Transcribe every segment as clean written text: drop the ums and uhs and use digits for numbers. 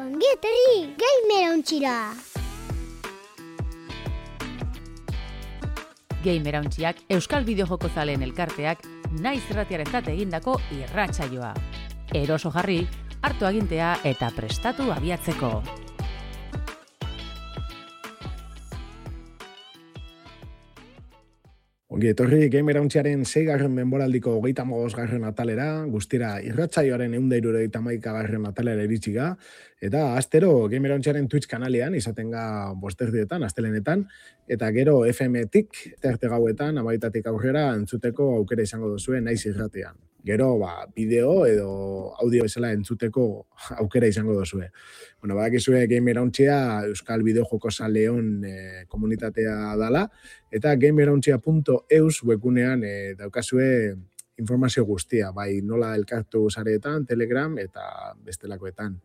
Ongi etorri, Gamerauntxira! Gamerauntxiak Euskal Bideojoko zaleen elkarteak naiz irratiarentzat egindako irratsaioa. Eroso jarri, hartu agintea eta prestatu abiatzeko. Ongi etorri Gamerauntxiaren 6. denboraldiko 35. atalera, guztira irratsaioaren 171. atalera iritsiga, eta astero Gamerauntxiaren Twitch kanalean izatenga bosterdietan, astelenetan, eta gero FM-tik, terte gauetan, amaitatik aurrera entzuteko aukera izango duzue naiz irratean. Gero, bideo edo audio bezala entzuteko aukera izango duzue. Bueno, badakizue Gamerauntxia Euskal Bideojoko zaleon komunitatea dala, eta gamerauntxia.eus webgunean daukazue informazio guztia, bai nola elkartu sareetan, Telegram eta bestelakoetan.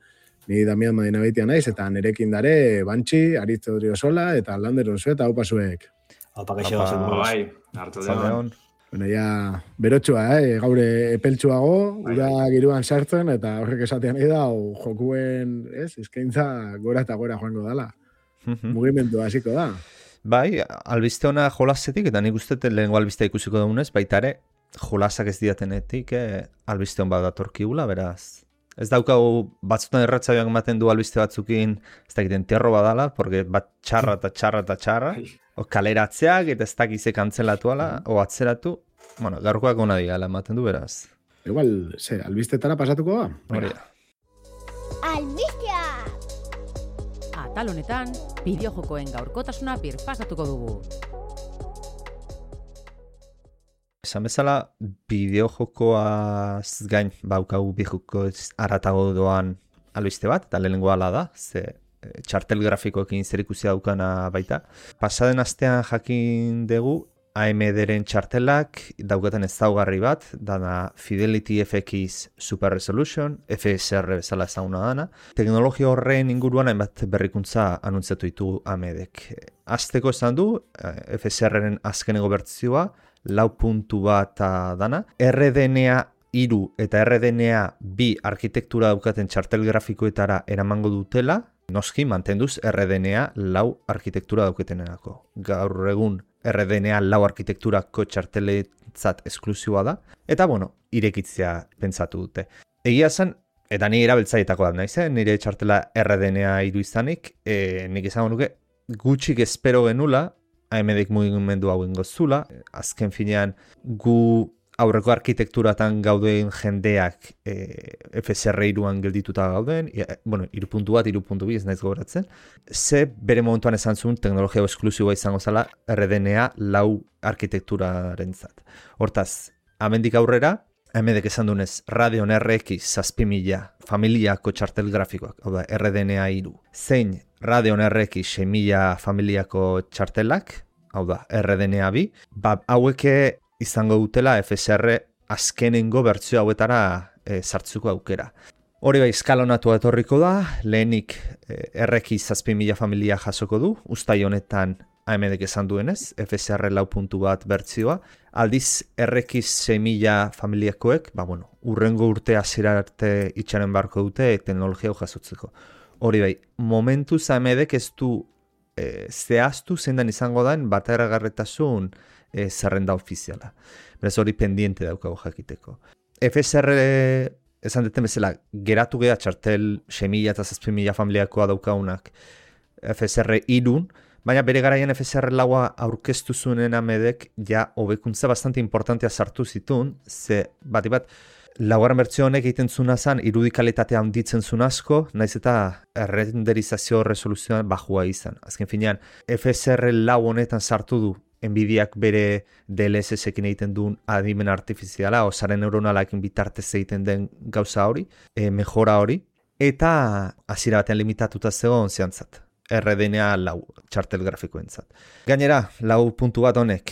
Ni Damian Madinabeitia naiz, eta nerekin dare Bantxi, Aritz Odriozola eta Lander Onzu eta Upasuek. Opa, kaixo, bai, hartu deon. Bueno, ja, berotxua, gaur epeltsuago, ura giruan sartzen, eta horrek esatean da, jokuen, eskaintza gora eta gora joango dala. Mugimendu hasiko da. Bai, albiste ona jolasetik, eta nik uste lehengo albistea ikusiko dugunez, baita ere, jolasak ez diatenetik, albiste hon bat datorkigula, beraz. Ez daukau batzutan erratzaioak ematen du albiste batzukin, ez dakiten terro badala, porque bat txarra eta txarra eta txarra, o kaleratzeak eta ez dakizek antzelatuala, o atzeratu, bueno, gaurkoak ona digala ematen du, beraz. Igual, albistetara pasatuko da? Hori da. Albistea! Atal honetan, bideojokoen gaurkotasuna birpasatuko dugu. Esan bezala, bideojokoaz gain baukagu bideojoko aratago doan albiste bat, eta lehenengo ala da, ze txartel grafikoekin zerikusia daukana baita. Pasaden astean jakin dugu, AMD-ren txartelak daukaten ezaugarri bat, dana Fidelity FX Super Resolution, FSR bezala ezaguna dana. Teknologia horren inguruan hainbat berrikuntza anuntziatu ditu AMD-ek. Azteko esan du, FSR-ren azkeneko bertzioa, 4.1 dana. RDNA 3 eta RDNA 2 arkitektura daukaten txartel grafikoetara eramango dutela, noski mantenduz RDNA 4 arkitektura dauketenerako. Gaur egun RDNA 4 arkitekturako txarteletzat esklusiua da, eta bueno, irekitzea pentsatu dute. Egia zen, eta nire erabiltzaietako da naiz, nire txartela RDNA 3 izanik, nik izango nuke gutxik espero genula, AMD-ek mugimendu hau ingozula, azken finean gu aurreko arkitekturatan gauden jendeak FSR 3an geldituta gauden, bueno, 3.1, 3.2 ez naiz gogoratzen, ze bere momentuan esan zuen teknologia esklusiboa izango zela RDNA 4 arkitekturaren zat. Hortaz, amendik aurrera, AMD-ek esan dunez Radeon RX 6000 familiako txartel grafikoak, hau da, RDNA 3, zein Radeon RX 6000 familiako txartelak, hau da, RDNA 2, haueke izango dutela FSR azkenengo bertzio hauetara sartzuko aukera. Hori bai, eskalonatu etorriko da, lehenik RX 6000 familia jasoko du, uztai honetan AMD-ek esan duenez, FSR 4.1 bertzioa, aldiz RX 6000 familiakoek, urrengo urte hasiera arte itxaren barko dute teknologia hau jasotzeko. Hori bai, momentuz AMD-ek ez du zehaztu zendan izango den bateragarretasun zerrenda ofiziala. Beraz hori pendiente daukago jakiteko. FSR esan deten bezala, geratu geha txartel 6000 eta 6000 familiakoa daukagunak FSR 3, baina bere garaian FSR 4 aurkeztu zuen AMD-ek ja hobekuntza bastante importantea sartu zituen, ze bat laugarren bertsio honek egiten zuna zen, irudikalitatea handitzen zuen asko, naiz eta renderizazio resoluzioan bajua izan. Azken finean, FSR 4 honetan sartu du Nvidiak bere DLSS-ekin egiten duen adimen artifiziala, osare neuronalakin bitartez egiten den gauza hori, mejora hori, eta hasiera batean limitatuta zegoen zehantzat, RDNA 4 txartel grafikoentzat. Gainera, 4.1 honek,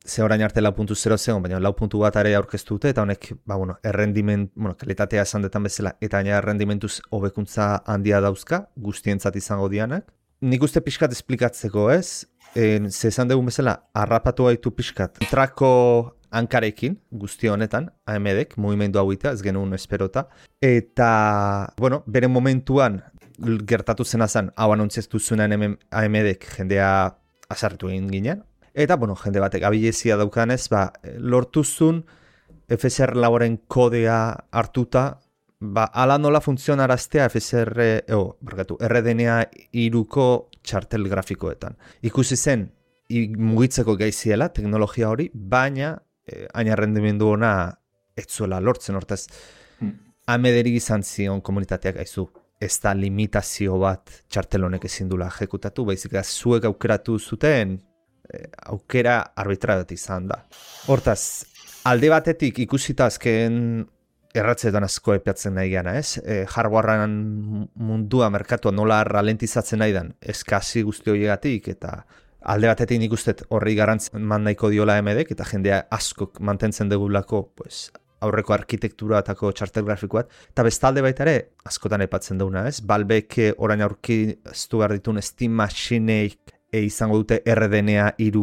ze orain arte 4.0 zegoen, baina 4.1 ere aurkeztu dute, eta honek, kalitatea esan detan bezala, eta gainera errendimentuz hobekuntza handia dauzka, guztientzat izango dianak. Nik uste pixkat esplikatzeko ez, ze esan dugun bezala, harrapatu gaitu pixkat. Trako hankarekin, guzti honetan, AMD-ek, mugimendu hau ez genuen esperota. Eta, bere momentuan, gertatu zena zen, hau anuntziatu zuenan AMD-ek jendea azartu egin ginen. Eta, jende batek abilezia daukanez, lortu zuen FSR lauren kodea hartuta, ala nola funtzionaraztea RDNA 3ko txartel grafikoetan. Ikusi zen, mugitzeko gaiziela teknologia hori, baina hain errendimendu ona ez zuela lortzen, hortaz. AMD-eri izan zion komunitateak aizu, ez da limitazio bat txartel honek ezin dula ejekutatu, baizik zuek aukeratu zuten aukera arbitra bat izan da. Hortaz, alde batetik ikusita azken erratzeetan asko epeatzen nahi gana, ez? Hardwarean mundua, merkatua nola ralentizatzen nahi dan, eskasi guzti horiegatik, eta alde batetik nik ustet horri garrantzen man nahiko diola AMD-ek, eta jendea askok mantentzen degulako, aurreko arkitekturatako txartel grafikoat, eta bestalde baita ere, askotan epatzen duguna, ez? Valvek orain aurkiztu behar ditun Steam Machineik izango dute RDNA 3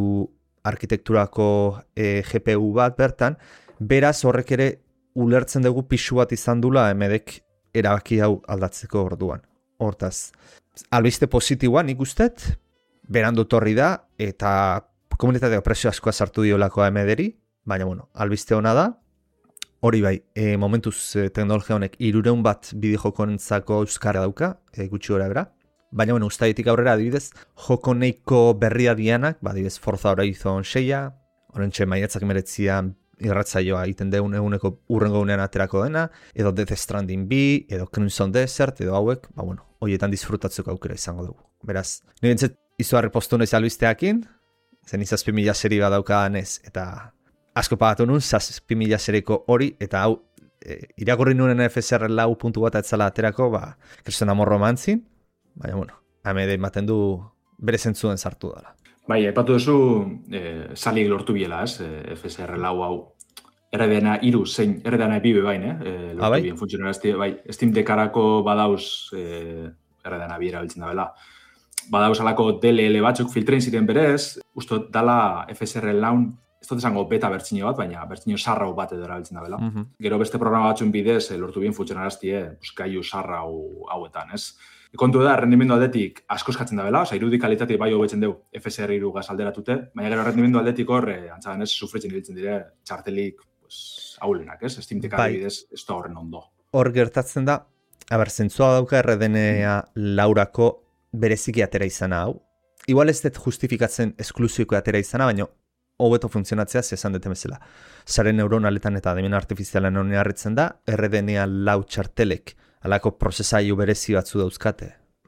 arkitekturako GPU bat bertan, beraz horrek ere ulertzen dugu pixu bat izan dula AMD-ek erabaki hau aldatzeko orduan. Hortaz, albiste positiboan nik ustet, berandu torri da, eta komunitatea presio askoa sartu diolako AMD-eri, baina albiste ona da, hori bai, momentuz teknologia honek 300 bat bideojokoentzako euskara dauka, gutxi gora bera, baina ustaitik aurrera adibidez, joko neiko berria dianak, adibidez Forza Horizon 6, horrentxe maiatzak meretzian irratzaioa egiten deun eguneko urrengo unean aterako dena, edo Death Stranding 2, edo Crimson Desert, edo hauek, horietan disfrutatzeko aukera izango dugu. Beraz, nire entzet izugarri postu naiz albisteakin, zen 7.000 seri bat daukadan ez, eta asko pagatu nun, 7.000 seriko hori, eta hau, irakurri nuen FSR lau puntu bat etzala aterako, kriston amorro mantzin, baina, AMD ematen du bere zentzuen sartu dela. Bai, aipatu duzu, saliek lortu biela, ez? FSR lau hau RDNA 3 zein RDNA 2 bain, lortu bien funtzionarazti, bai, Steam Deckarako badauz RDNA 2 erabiltzen da bela. Badauz alako DLL batzuk filtrein ziren berez, ustot dala FSR laun, ez dut esango beta bertxino bat, baina bertxino sarrau bat edo erabiltzen da bela. Gero beste programa batzun bidez lortu bien funtzionarazti, gaiu sarrau hauetan, ez? Kontu da, rendimendu aldetik asko eskatzen da bela, irudi kalitatea bai hobetzen dugu FSR 3 gaz alderatute, baina gero rendimendu aldetik hor, antzagan ez, sufritzen hiltzen dire, txartelik haulenak, ez? Steam Deck adibidez, ez da horren ondo. Hor gertatzen da, zentzua dauka RDNA laurako bereziki atera izana hau. Igual ez dut justifikatzen esklusioko atera izana, baina hobeto funtzionatzea esan dute bezala. Sare neuronaletan eta adimen artifizialan honi harritzen da, RDNA lau txartelek alako prozesailu berezi batzu dauzkate,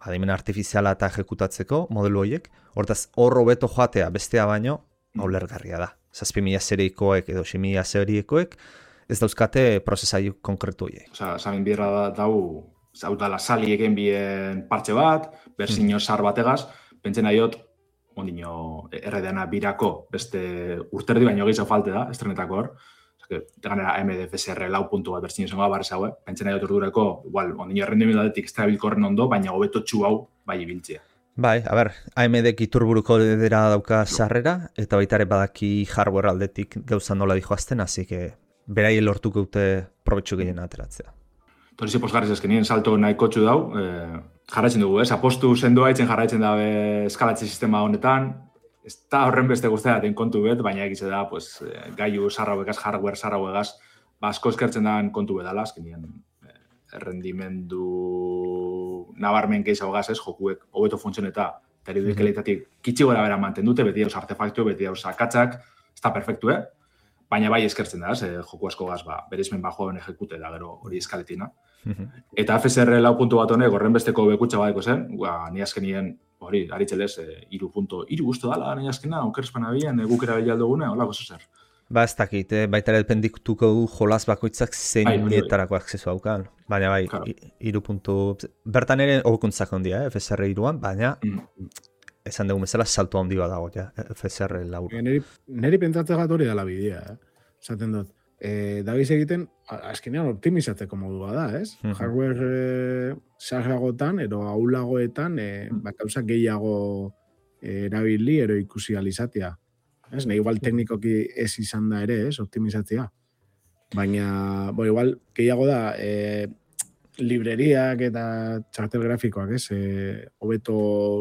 adimen artifiziala eta ejekutatzeko modelu horiek, hortaz hor hobeto joatea bestea baino, ulergarria da. 7.000 serikoek edo 6.000 serikoek ez dauzkate prozesailu konkretu horiek. Zamin bierra dau, hau dala sali egen bien partxe bat, berzino sar bategaz, pentsena diot, ondino RDNA 2ko beste urterdi baino gehiago falte da, estrenetako hor, ganera AMD FSR lau puntu bat berzino zengoa barrez hau, pentsena diot ordureko, igual, ondino rendimendu aldetik ez da bilkorren ondo, baina hobeto txu hau bai ibiltzea. Bai, AMD iturburuko dera dauka sarrera, eta baitare badaki hardware aldetik gauza nola dijoazten, hasi que berai lortuko dute probetxu gehien ateratzea. Torrizi posgarriz ezkenien salto nahiko txu dau, jarraitzen dugu, apostu sendoa itzen jarraitzen dabe eskalatze sistema honetan, ez da horren beste guztia den kontu bet, baina egitze da, gaiu sarrauegaz, hardware sarrauegaz, asko eskertzen da kontu bedala, azkenien rendimendu nabarmen gehiago gaz, jokuek hobeto funtzioneta, eta irudi kalitatik kitsi gora bera manten dute, beti dauz artefaktu, beti dauz akatzak, ez da perfektu, baina bai eskertzen da, joku asko gaz, bereizmen bajoen ejekute da, gero hori eskaletina. Eta FSR lau puntu bat honek, horren besteko bekutxa badeko zen, ni azkenien, hori, aritzelez, 3.3 guztu dala, ni azkena, okerspan abien, gukera behialdugune, holako zozer. Ez dakit, baita ere dependituko du jolaz bakoitzak zeinietarako akzesu haukan. Baina bai, 3 puntu... Bertan ere hobekuntzak ondia, FSR 3an, baina esan dugu bezala salto handi bat dago, FSR 4. Neri pentsatzen gat hori dela bidea, esaten dut. Dabiz egiten, azkenean optimizatzeko modua da, ez? Hardware sarragotan, ero aulagoetan, gauza gehiago erabili, ero ikusi alizatea. Ez, igual teknikoki ez izan da ere, ez, optimizatzea. Baina, igual, gehiago da, libreriak eta txartel grafikoak, ez? Hobeto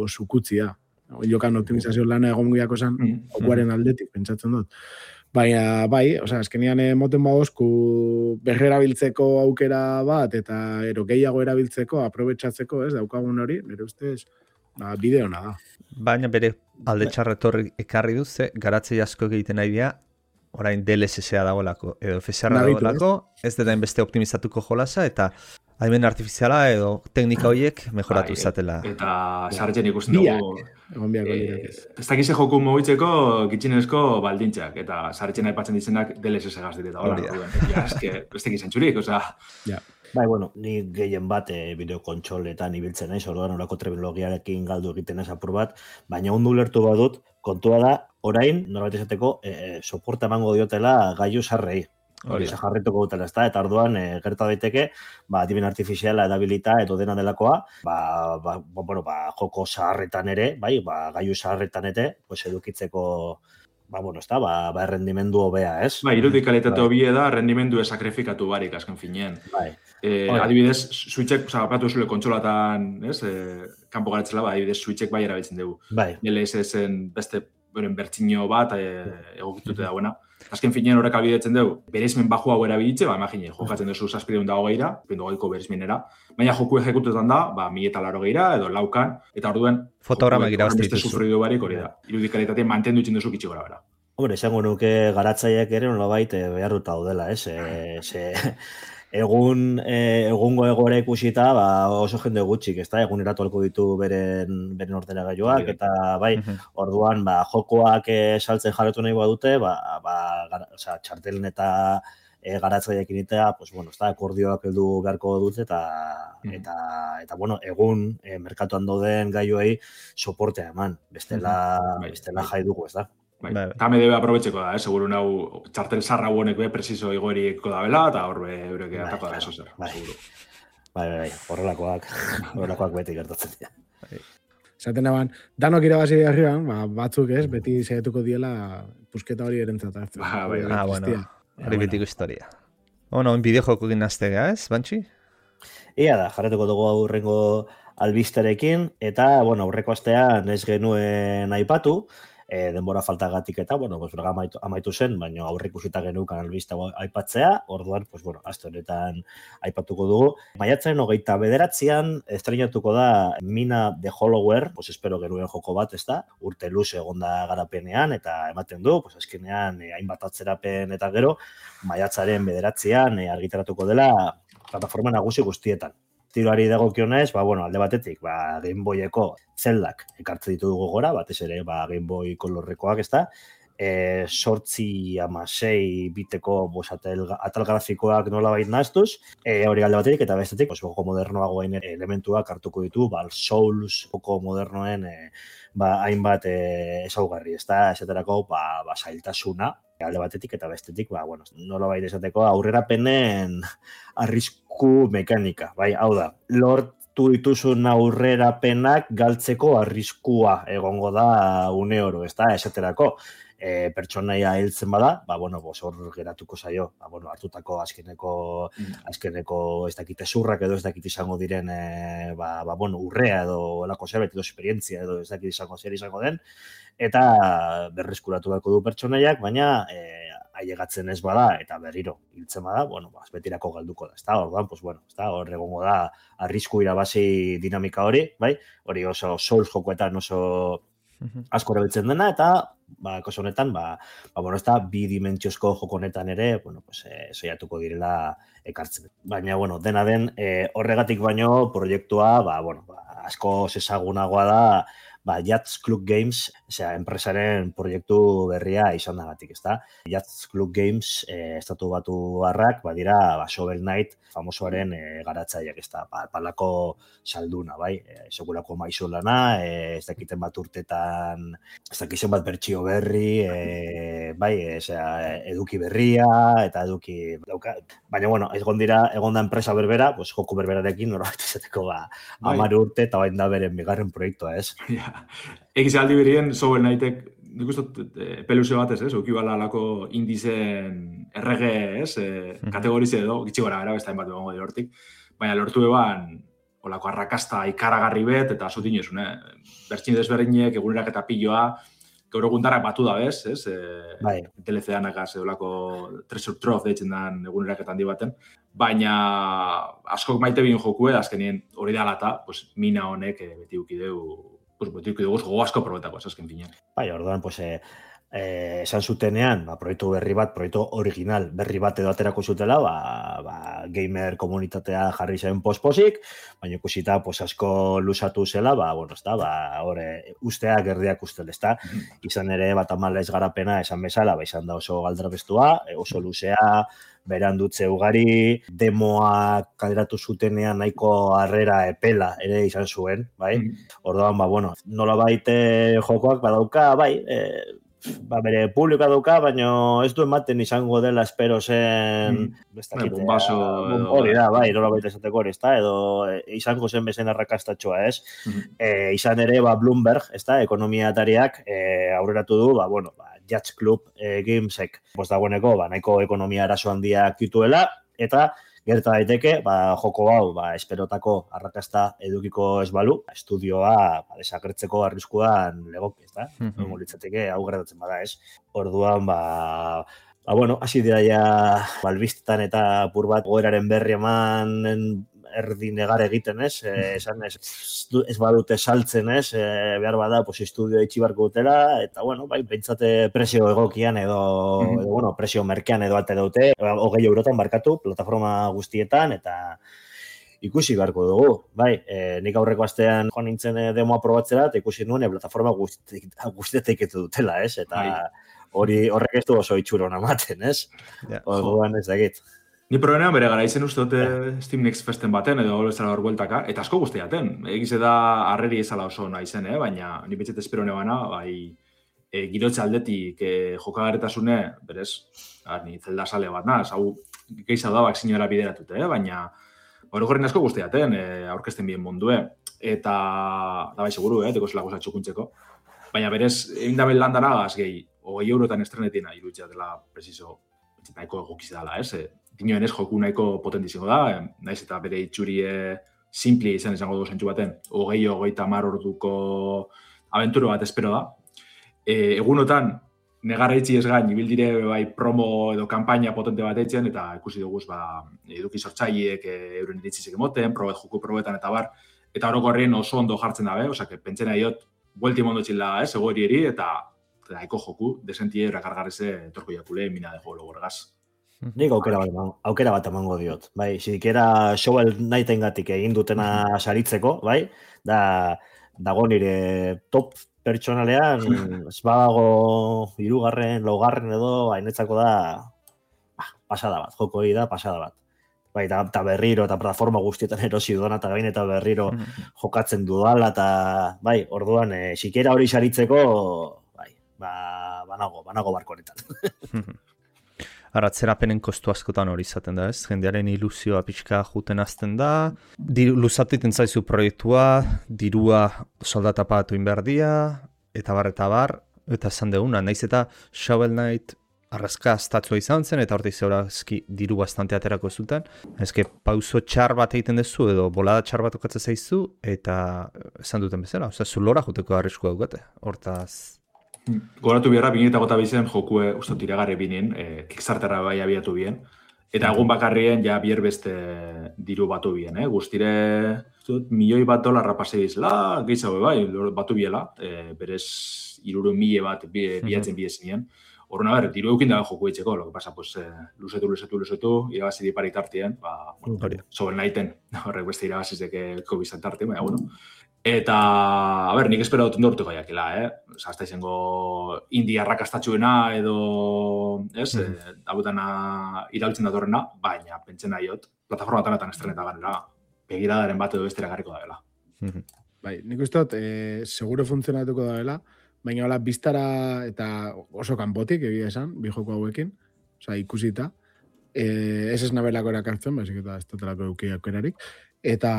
zukutzia. Jokan optimizazio lana egon guiako zen, jokuaren aldetik, pentsatzen dut. Baina, bai, azkenian moten badozku berrerabiltzeko aukera bat, eta gehiago erabiltzeko, aprobetxatzeko, ez, daukagun hori, nire ustez, bide hona da. Baina bere alde txarretorri ekarri duz, garatzei asko egiten nahi dira, orain DLSS-a dagoelako, edo FSR-a dagoelako, ez dela beste optimizatuko jolasa, eta adimen artifiziala edo teknika horiek mejoratu izatela. Eta sartzen ikusten dugu. Egon biako lirak ez. Ez dakize joku mogitzeko gitxinezko baldintzak, eta sartzen aipatzen ditzenak DLSS gaz direta. Ja, ez tekiz entzurik, Ja. Bai, bueno, ni gehien bat bideokontsoletan ibiltzen naiz, orduan orako terminologiarekin galdu egiten ez apur bat, baina ondo ulertu badut, kontua da, orain, norbait esateko, soporta emango diotela gailu sarrei. Hori jarrituko dutela, ez da, eta orduan gerta daiteke, adimen artifiziala edabilita edo dena delakoa, joko zaharretan ere, gailu zaharretan ere, edukitzeko, errendimendu hobea, ez? Irudikalitate hobie da, rendimendu esakrifikatu barik, azken finean. Adibidez, switchek, apatu zule kontsolatan, kanpo garatzela, adibidez, switchek bai erabiltzen dugu. LSS-en beste bertxino bat egokitute dauena. Azken finean horrek albidetzen dugu, bereizmen baju hau erabilitze, imagine, jokatzen duzu 720 120ko bereizmenera, baina joku ejekutetan da, 1080 edo laukan, eta orduen fotograma irabazte beste sufridu barik hori da. Irudikalitatea mantendu itzen duzu kitxi gora bera. Hombre, esango nuke garatzaileak ere nolabait beharruta daudela, egungo egoera ikusita oso jende gutxik, eguneratu alko ditu beren ordenagailuak, eta orduan jokoak saltzen jarretu nahi badute, txartelen eta garatzaileak initea, akordioak heldu beharko dut, eta egun merkatuan dauden gailuei soportea eman, bestela jai dugu, ez da? Tame debe aprobetxeko da, seguru nau txartel zarra honek presizo igoriko da bela, eta horbe eureke atako da eso zer. Horrelakoak beti gertatzen dira. Zaten daban, danok irabazi arriban, batzuk ez, beti saiatuko diela pusketa hori erentzat hartzen. Hori betiko historia. Bideo joko ginaztega, ez, Bantxi? Ia da, jarretuko dugu aurrengo albisterekin, eta, aurreko astean ez genuen aipatu, denbora faltagatik eta, amaitu zen, baina aurreikusita genukan albiste aipatzea, orduan, aste honetan aipatuko dugu. Maiatzaren 29an estreinatuko da Mina The Hollower, espero genuen joko bat, ez da, urte luze egonda garapenean, eta ematen du, azkenean hainbat atzerapen eta gero, maiatzaren 9an argitaratuko dela plataforma nagusi guztietan. Tiroari dagokionez, alde batetik, Game Boyeko Zeldak ekartze ditu dugu gora, batez ere Game Boy kolorrekoak, ez da, 8/6 biteko atal grafikoak nolabait nahaztuz, hori alde batetik, eta bestetik, joko modernoagoen elementuak hartuko ditu, Souls joko modernoen hainbat ezaugarri, ez da, esaterako, zailtasuna, alde batetik eta bestetik, nolabait esateko aurrerapenen arrisku mekanika, hau da, lortu dituzun aurrerapenak galtzeko arriskua egongo da une oro, ez da, esaterako, pertsonaia hiltzen bada, hor geratuko zaio, hartutako azkeneko ez dakite zurrak edo ez dakit izango diren, urrea edo olako zerbait edo esperientzia edo ez dakit izango den, eta berreskuratu beharko du pertsonaiak, baina ailegatzen ez bada eta berriro hiltzen bada, betirako galduko da, ezta? Orduan, hor egongo da arrisku irabazi dinamika hori, hori oso Souls jokoetan oso asko erabiltzen dena, eta kasu honetan, ez da, bidimentsiozko joko honetan ere, saiatuko direla ekartzen. Baina, dena den, horregatik baino proiektua, asko ezagunagoa da, Yachts Club Games, enpresaren proiektu berria izan dagatik, ez da? Yachts Club Games, estatu batu harrak, dira, Shovel Knight, famosoaren garatzaileak, ez da, palako salduna, segurako maizu lana, ez dakiten bat urtetan, ez dakiten bat bertsio berri, eduki berria, eta eduki dauka. Baina, egon da enpresa berbera, joku berberarekin, norbait esateko 10 urte, eta bain da beren bigarren proiektua, ez? Egiz aldi berien, Shovel Knightek, nik uste peluze batez, ukibala alako indizen errege, kategorize edo, gitxi gara besta hainbat egongo hortik. baina lortu eban olako arrakasta ikaragarri bet, eta zutin ezun, bertsin desberdinek, egunerak eta piloa, gaur egundarak batu da bez, ez? Bai. TLC-anakaz edolako Treasure Trove deitzen den egunerak eta handi baten, baina askok maite bin jokue, azkenien hori da lata, pues, mina honek beti ukideu gogo asko probetako, ez azken finean. Bai, orduan, pues, esan zutenean, proiektu berri bat, proiektu original berri bat edo aterako zutela, gamer komunitatea jarri zen posposik, baina ikusita pues, asko lusatu zela, bueno, ez da, usteak erdiak ustel, ez da, izan ere, tamalez garapena esan bezala, izan da oso galdrabestua, oso luzea, berandutze ugari, demoak kaleratu zutenean nahiko harrera epela ere izan zuen, bai? Orduan, bueno, nola baite jokoak badauka, bai, bere publikoa dauka, baina ez du ematen izango dela espero zen... Bombazo... Hori da, bai, nola baita esateko hori, ez da, edo izango zen bezen arrakastatxoa, ez? Izan ere, Bloomberg, ez da, ekonomiatariak aurreratu du, Jazz Club Gamesek, dagoeneko, nahiko ekonomia arazo handiak dituela, eta gerta daiteke, joko hau, esperotako arrakasta edukiko ez balu, estudioa desagertzeko arriskuan legoki, ez da? Litzateke, hau gertatzen bada ez. Orduan, bueno, hasi dira ja, albistetan eta pur bat goeraren berri eman erdi negar egiten, ez? Esan ez badute saltzen, ez? Behar bada, estudio itxi barko dutela, eta, bueno, pentsate presio egokian edo, presio merkean edo ate dute, 20 eurotan barkatu, plataforma guztietan, eta ikusi beharko dugu, nik aurreko astean joan nintzen demoa probatzera, eta ikusi nuen plataforma guztietek etu dutela, ez? Eta horrek ez du oso itxuro namaten, ez? Orduan ez dakit. Ni programean bere gara izen uste dute Steam Next Festen baten edo ez zara hor bueltaka, eta asko guztiaten. Egize da harreri ezala oso nahi zen, baina ni betxet espero nebana, girotxe aldetik jokagaretasune, berez, ni zelda sale bat naz, hau gehiza da bakzinora bideratute, baina horregorin asko guztiaten, aurkezten bien mundue, eta da bai seguru, teko zelako zatxukuntzeko, baina berez, egin da landana gaz gehi, 20 eurotan estrenetina irutzea dela preciso, nahiko egokiz dela, Dinoen ez joku nahiko potentiziko da, naiz eta bere itxurie simpli izango dugu zentsu baten, 20-30 orduko abenturo bat espero da. Egunotan, negarra itxi ez gain, ibildire promo edo kampaina potente bat eitzen, eta ikusi dugu eduki sortzaileek euren iritzizek emoten, joku probetan eta bar, eta orokorrien oso ondo jartzen dabe, osea, pentsena diot, buelti mondo txilla, egoerieri, eta nahiko joku, desentie erakargarreze torko jakule, mina de jogo logorgaz. Nik aukera bat emango diot. Zidikera Shovel Knightengatik egin dutena saritzeko, dago nire top pertsonalean, ez badago 3., 4. edo, hainetzako da pasada bat, joko hori da pasada bat. Eta berriro, eta plataforma guztietan erosi dudana, eta gain eta berriro jokatzen dudala, eta orduan, zikera hori saritzeko, banago barko honetan. Atzerapenen kostu askotan hori izaten da, ez? Jendearen ilusioa pixka juten azten da, luzatiten zaizu proiektua, dirua soldata pagatu inberdia, eta bar, eta esan deguna, naiz eta Shovel Knight arrazka estatzua izan zen, eta hortik zeurazki diru bastante aterako zuten. Ezke, pauso txar bat egiten dezu, edo bolada txar bat okatzen zaizu, eta esan duten bezala, zulora juteko arriskua dukate, hortaz... Goratu biharra, 2008 jokue uste tiragarri binen, Kickstarterra bai abiatu bien, eta egun bakarrien ja bier beste diru batu bien, guztire $1,000,000 rapase izela, gehiago bai, batu biela, berez 300,000 bat biatzen bidezinien. Horren diru eukin dago joku eitzeko, lo que pasa, pues, luzetu, irabazi dipari tartien, Shovel Knighten, horrek beste irabazizek COVID tartien, baina, bueno. Eta, nik espero dut ondortu gaiakela, Zazta izango india arrakastatxuena edo, dabutana irautzen datorrena, baina pentsen nahiot, plataforma tanatan estreneta ganera, begiradaren bat edo bestera garriko da dela. Nik uste dut, seguro funtzionatuko da dela, baina hola, biztara eta oso kanpotik egia esan, bi joko hauekin, ikusita, ez ez nabelako erakartzen, baizik eta ez dut eukiak erarik, eta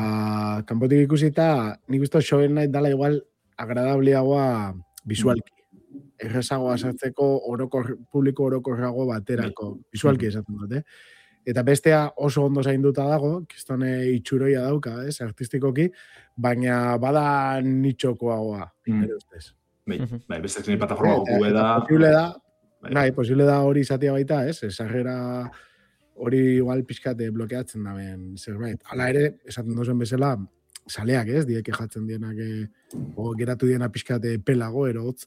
kanpotik ikusita, nik uste Shovel Knight dala igual agradableagoa visualki. Errezagoa sartzeko publiko orokorrago baterako, visualki esaten dut, Eta bestea oso ondo zainduta dago, kistone itxuroia dauka, artistikoki, baina bada nitxokoagoa, nire ustez. Bai, beste zen plataforma joku da. Posible da hori izatea baita, sarrera hori igual pixkate blokeatzen daben zerbait. Hala ere, esaten dozen bezala, saleak dieke jatzen dienak, geratu diena pixkate pelago, erotz,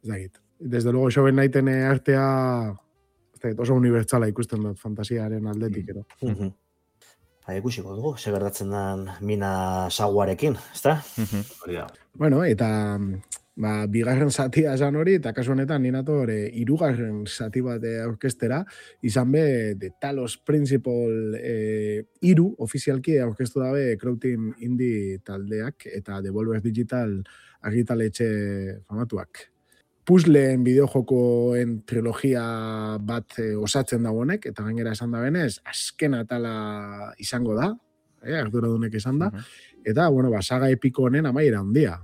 ez dakit. Desde luego, soben naiten artea, oso unibertsala ikusten dut fantasiaren aldetik, ero. Ikusiko dugu, ze gertatzen den Mina Saguarekin, ezta? Bueno, eta bigarren zatia esan hori, eta kasu honetan ninator hirugarren zati bat aurkestera, izan be, The Talos Principle 3 ofizialki aurkestu dabe Crowteam Indie taldeak eta Devolver Digital argitaletxe famatuak. Puzzleen bideojokoen trilogia bat osatzen dagoenek, eta gainera esan da benez, azken atala izango da, arduradunek esan da, eta, saga epiko honen amaiera handia.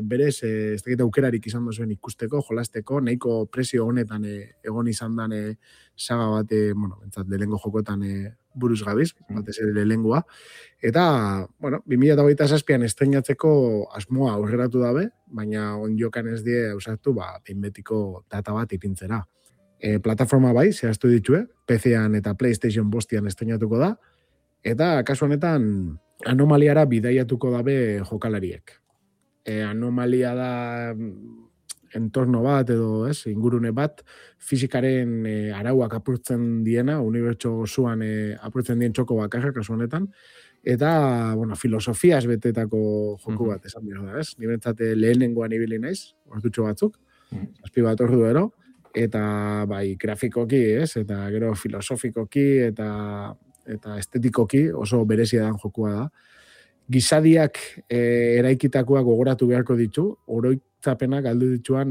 Berez, ez dakit aukerarik izan duzuen ikusteko, jolasteko, nahiko presio honetan egon izan dan saga bat, bentsat, lehengo jokotan buruz gabiz, batez ere lehengoa. Eta, 2027an estreinatzeko asmoa aurreratu dabe, baina onjokan ez die ausartu, behin betiko data bat ipintzera. Plataforma bai, zehaztu ditue, PC-an eta PlayStation bostian estreinatuko da, eta kasu honetan anomaliara bidaiatuko dabe jokalariek. Anomalia da entorno bat edo ingurune bat fizikaren arauak apurtzen diena, unibertso osoan apurtzen dien txoko bakarra kasu honetan, eta filosofiaz betetako joku bat esan behar da, Ni bentsate lehenengoan ibili naiz, ordutxo batzuk, 7 bat ordu ero, eta bai grafikoki, eta gero filosofikoki eta estetikoki oso berezia dan jokua da. Gizadiak eraikitakoak gogoratu beharko ditu, oroitzapenak galdu dituan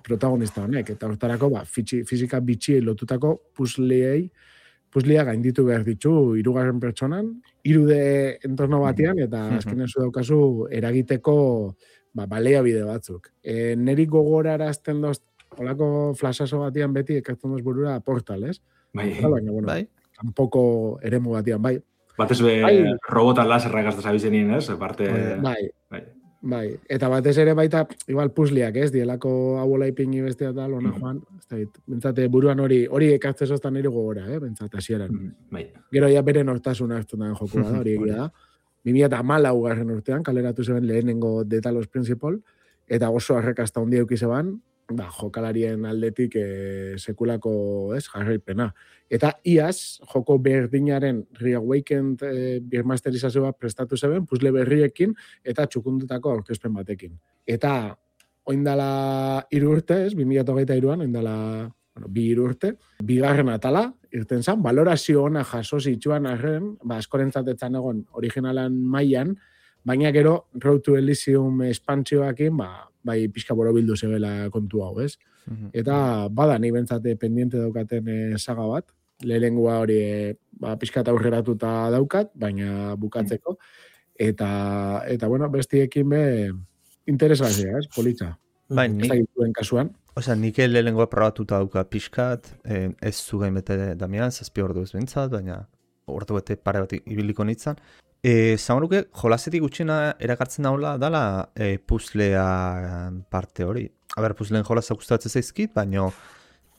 protagonista honek, eta hortarako fizika bitxiei lotutako puzzlea gainditu behar ditu 3. pertsonan, 3D entorno batean, eta azkenean zu daukazu eragiteko baliabide batzuk. Neri gogorara azten doz, holako flashazo batean beti ekartzen doz burura Portal, ez? Bai. Tampoko eremu batean, bai. Batez be robotan laserrak gazta zabizenien, ez? Bai. Eta batez ere baita, igual puzzleak, ez? Dielako hauola ipingi bestea eta lona joan. Bentsate buruan hori ekartze zoztan nire gogora, bentsate hasieran. Gero ja bere nortasuna hartu da jokua da, hori egia da. 2014 urtean, kaleratu zeben lehenengo The Talos Principle, eta oso arrakasta handia euki zeban, jokalarien aldetik sekulako jarraipena. Eta iaz, joko berdinaren Reawakened birmasterizazioa prestatu zeben, puzzle berriekin eta txukundutako aurkezpen batekin. Eta oindala 3 urte, 2023an, oindala 2 urte, bigarren atala, irten zan, balorazio ona jaso zitsuan arren, askorentzat egon originalan mailan, baina gero Road to Elysium espantzioakin, bai pixka borobildu zebela kontu hau, ez? Eta bada ni bentsate pendiente daukaten saga bat, lehenengoa hori pixka aurreratuta daukat, baina bukatzeko, eta bestiekin be interesgarria, ez? Politza. Bai, kasuan. Osea, nik lehenengoa probatuta dauka pixkat, ez zugain bete Damian, 7 ordu ez bentsat, baina ordu bete pare bat ibiliko nintzen. Zamaruke, jolasetik gutxina erakartzen daula dala puzzlea parte hori. Puzzleen jolazak gustatzen zaizkit, baina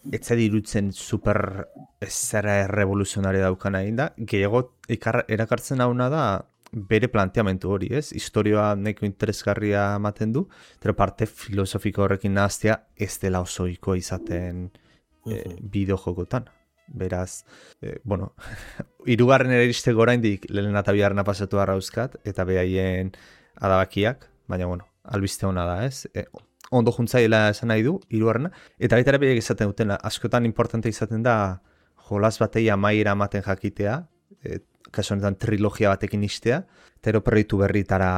ez zedi irutzen super zera revoluzionaria daukana egin da. Gehiago erakartzen dauna da bere planteamentu hori, ez? Historioa neko interesgarria ematen du, pero parte filosofiko horrekin nahaztea ez dela osoiko izaten bideojokotan. Beraz, 3. eristeko oraindik lehen eta bigarrena pasatu arrauzkat, eta behaien adabakiak, baina, albiste hona da, ez? Ondo juntzaila esan nahi du, 3. Eta baita ere behiak izaten dutena, askotan importante izaten da jolas batei amaiera ematen jakitea, kasu honetan trilogia batekin istea, eta proiektu berritara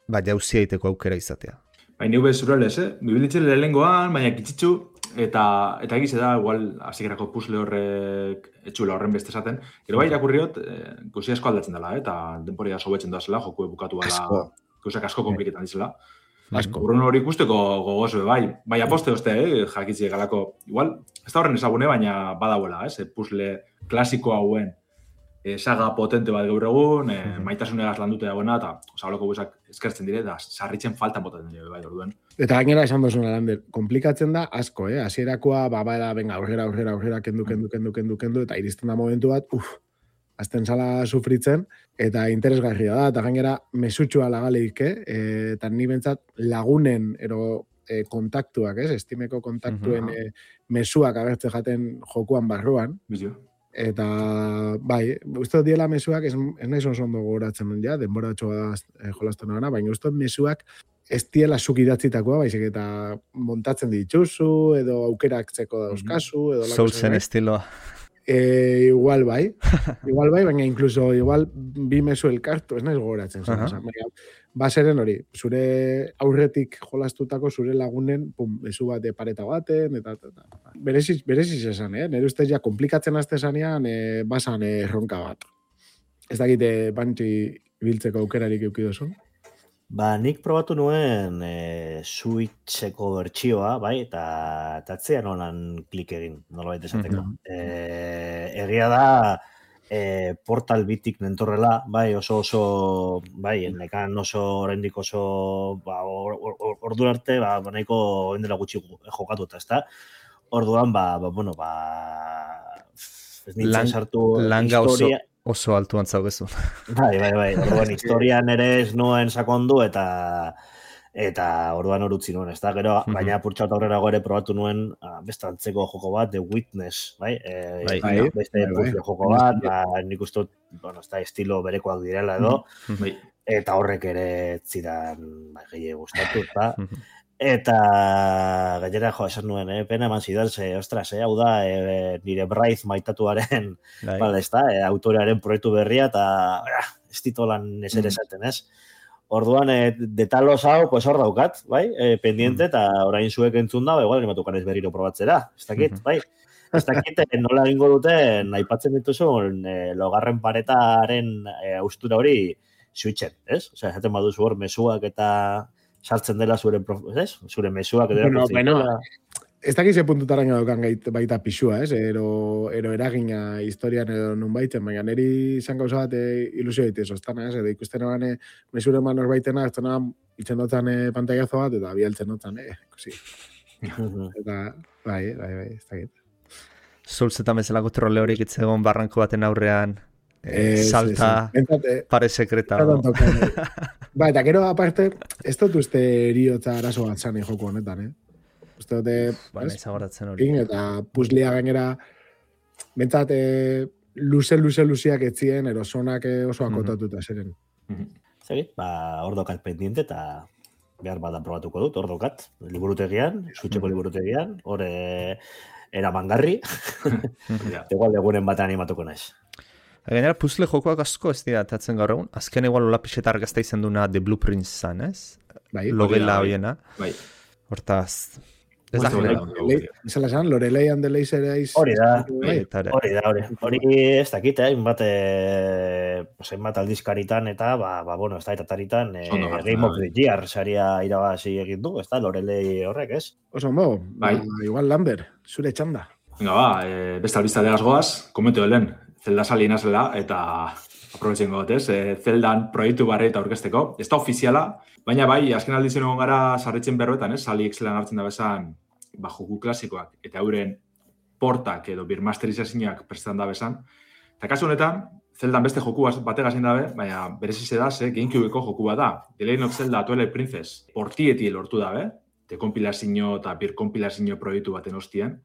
jauzia iteko aukera izatea. Baina hube zurelez, bibilitzen lehengoan, baina kitzitzu, eta egize da, igual, hasikerako puzzle horrek etxula horren beste esaten. Gero bai irakurriot, gauzi asko aldatzen dela, eta denporia sobetzen doazela, joku bukatu bala, gauzak asko kompliketan dizela. Urrun hori ikusteko gogoz, bai aposte oste, jakitzi galako, igual, ez da horren ezagune, baina badauela, puzzle klasiko hauen saga potente bat gaur egun, maitasunegaz landuta dagoena, eta holako gauzak eskertzen dire, eta sarritzen faltan botatzen dire, bai, orduan. Eta gainera esan duzuna, Lander, komplikatzen da asko, hasierakoa, venga, aurrera, kendu, eta iristen da momentu bat, azten zala sufritzen, eta interesgarria da, eta gainera mesutxua lagaleik, eta ni bentsat lagunen, kontaktuak, estimeko kontaktuen mesuak agertzen jaten jokuan barruan, eta, bai, uste diela mesuak, ez nahi ondo gogoratzen ja, denbora txoa jolasten gana, baina uste mesuak ez diela zuk idatzitakoa, baizik eta montatzen dituzu, edo aukeraktzeko dauzkazu, edo Soulsen estiloa. Igual bai, baina incluso igual bi mesu elkartu, ez naiz gogoratzen. Baseren hori, zure aurretik jolastutako zure lagunen, mesu bat pareta baten, eta bereziz esan, nire ustez ja komplikatzen azte zanean, basan erronka bat. Ez dakite bantzi biltzeko aukerarik eukidozun? Nik probatu nuen Switcheko bertsioa, bai, eta atzean holan klik egin, nolabait esateko. Egia da, Portal bitik nentorrela, bai, bai, nekan oraindik oso, ordu arte, nahiko endela gutxi jokatu eta, ezta? Orduan, ez nintzen sartu historia. Oso altuan zaugezu. Bai. Orduan, historian ere ez nuen sakondu eta orduan orutzi nuen, ez da, gero, baina purtsaut aurrera gore probatu nuen beste antzeko joko bat, The Witness, bai? Beste puzzle joko bat, nik uste, ez da, estilo berekoak direla edo, eta horrek ere zidan gehi gustatu, eta eta gainera esan nuen, pena eman zidan, ostras, hau da, nire Bryce maitatuaren, autorearen proiektu berria, eta ez ditolan eser esaten, ez? Orduan, detalos hau, pues hor daukat, bai, pendiente, eta orain zuek entzun da, igual, animatukan ez berriro probatzera, ez dakit, bai? Ez dakit, nola egingo duten, aipatzen dituzun, logarren paretaren austura hori switchen, ez? Osea, esaten baduzu hor, mesuak eta sartzen dela zure mesuak edo ez dakiz puntutaraino daukan baita pixua, ero eragina historian edo nun baiten, baina niri izan gauza bat ilusio daitez, ostana, edo ikusten eban mesure man horbaitena, ez dena itzen dutzen pantaiazo bat, eta bialtzen dutzen, ikusi. Eta, bai, ez dakit. Souls eta bezalako trole horik itzegon barranko baten aurrean, salta, pare sekreta. Ba, eta gero aparte, ez dut uste eriotza arazo bat zane joko honetan, Uste dute, eta puzlia gainera, bentsat, luzeak etzien, erosonak oso akotatuta zeren. Zegi, hor dokat pendiente, eta behar badan probatuko dut, hor dokat, liburutegian, Switcheko liburutegian, hor eramangarri, igual egunen batean animatuko naiz. Gainera, puzzle jokoak asko ez dira atatzen gaur egun. Azken igual hola pixeta argazta izan duna The Blueprints zan, ez? Bai. Logela hoiena. Bai. Hortaz... Zala zan, Lorelei and the Laser Eyes... Hori da. Hori ez dakit, hainbat aldizkaritan eta, ez da, etaritan Game of the Year saria irabazi egin du, ez da, Lorelei horrek, ez? Oso, igual Lambert, zure txanda. Venga, beste albiztadeaz goaz, komenteo helen, Zelda salina zela, eta aprobetzen gotez, Zeldan proiektu barri eta orkesteko. Ez da ofiziala, baina bai, azken aldizen egon gara sarritzen berroetan, Sally Excelan hartzen da bezan, joku klasikoak, eta euren portak edo birmasterizazioak prestan da bezan. Eta kasu honetan, Zeldan beste joku bategazin dabe, baina berezize da, GameCubeko joku bat da. The Legend of Zelda Twilight Princess portieti lortu dabe, dekompilazio eta birkompilazio proiektu baten ostien.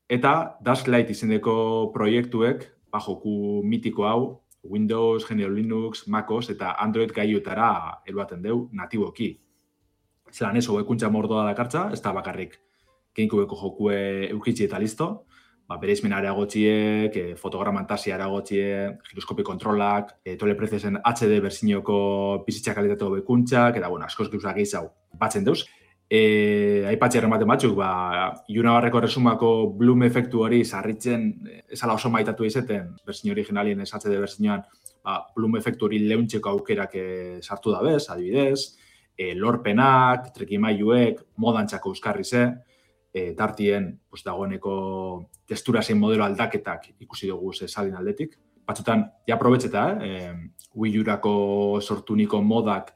Eta Dustlight izeneko proiektuek, joku mitiko hau, Windows, GNU Linux, MacOS eta Android gaiutara eruaten deu natiboki. Zelan ez, hobekuntza mordoa dakartza, ez da bakarrik GameCubeko jokue eukitzi eta listo, bereizmen areagotxiek, fotogramantasia areagotxiek, giroskopi kontrolak, Twilight Princesen HD berzinoko bizitza kalitate hobekuntzak, eta askoz gauzak gehiago batzen deuz. Aipatzi errematen batzuk, Iunabarreko resumako Bloom efektu hori sarritzen esala oso maitatu izeten, berzin originalien HD berzinoan, Bloom efektu hori leuntzeko aukerak sartu da bez, adibidez, lorpenak, trekimailuek, modantxako euskarri ze, tartien dagoeneko testura zein modelo aldaketak ikusi dugu salin aldetik. batzutan, ja aprobetxeta, Wii U-rako sortuniko modak,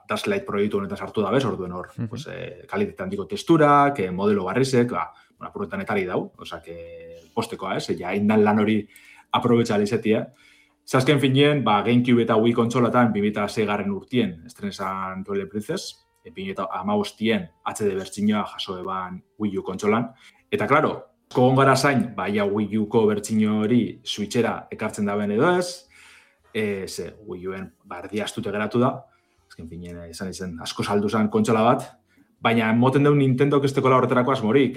Dash Lite proiektu honetan sartu da bez, orduen hor, pues, kalitate handiko testurak, modelo barrizek, apuretan etari dau, osea, postekoa, ja, indan lan hori aprobetxa alizetia. Zazken finien, GameCube eta Wii kontsolatan 2006 urtien estrenesan Twilight Princess, 2015 HD bertsinoa jaso eban Wii U kontsolan. Eta, klaro, kogon gara zain, ja Wii U-ko bertsino hori Switchera ekartzen da ben edo ez, Wii U-en erdiastute geratu da, azken finien izan asko saldu zen kontsola bat, baina moten dugu Nintendo kestekola horretarako asmorik,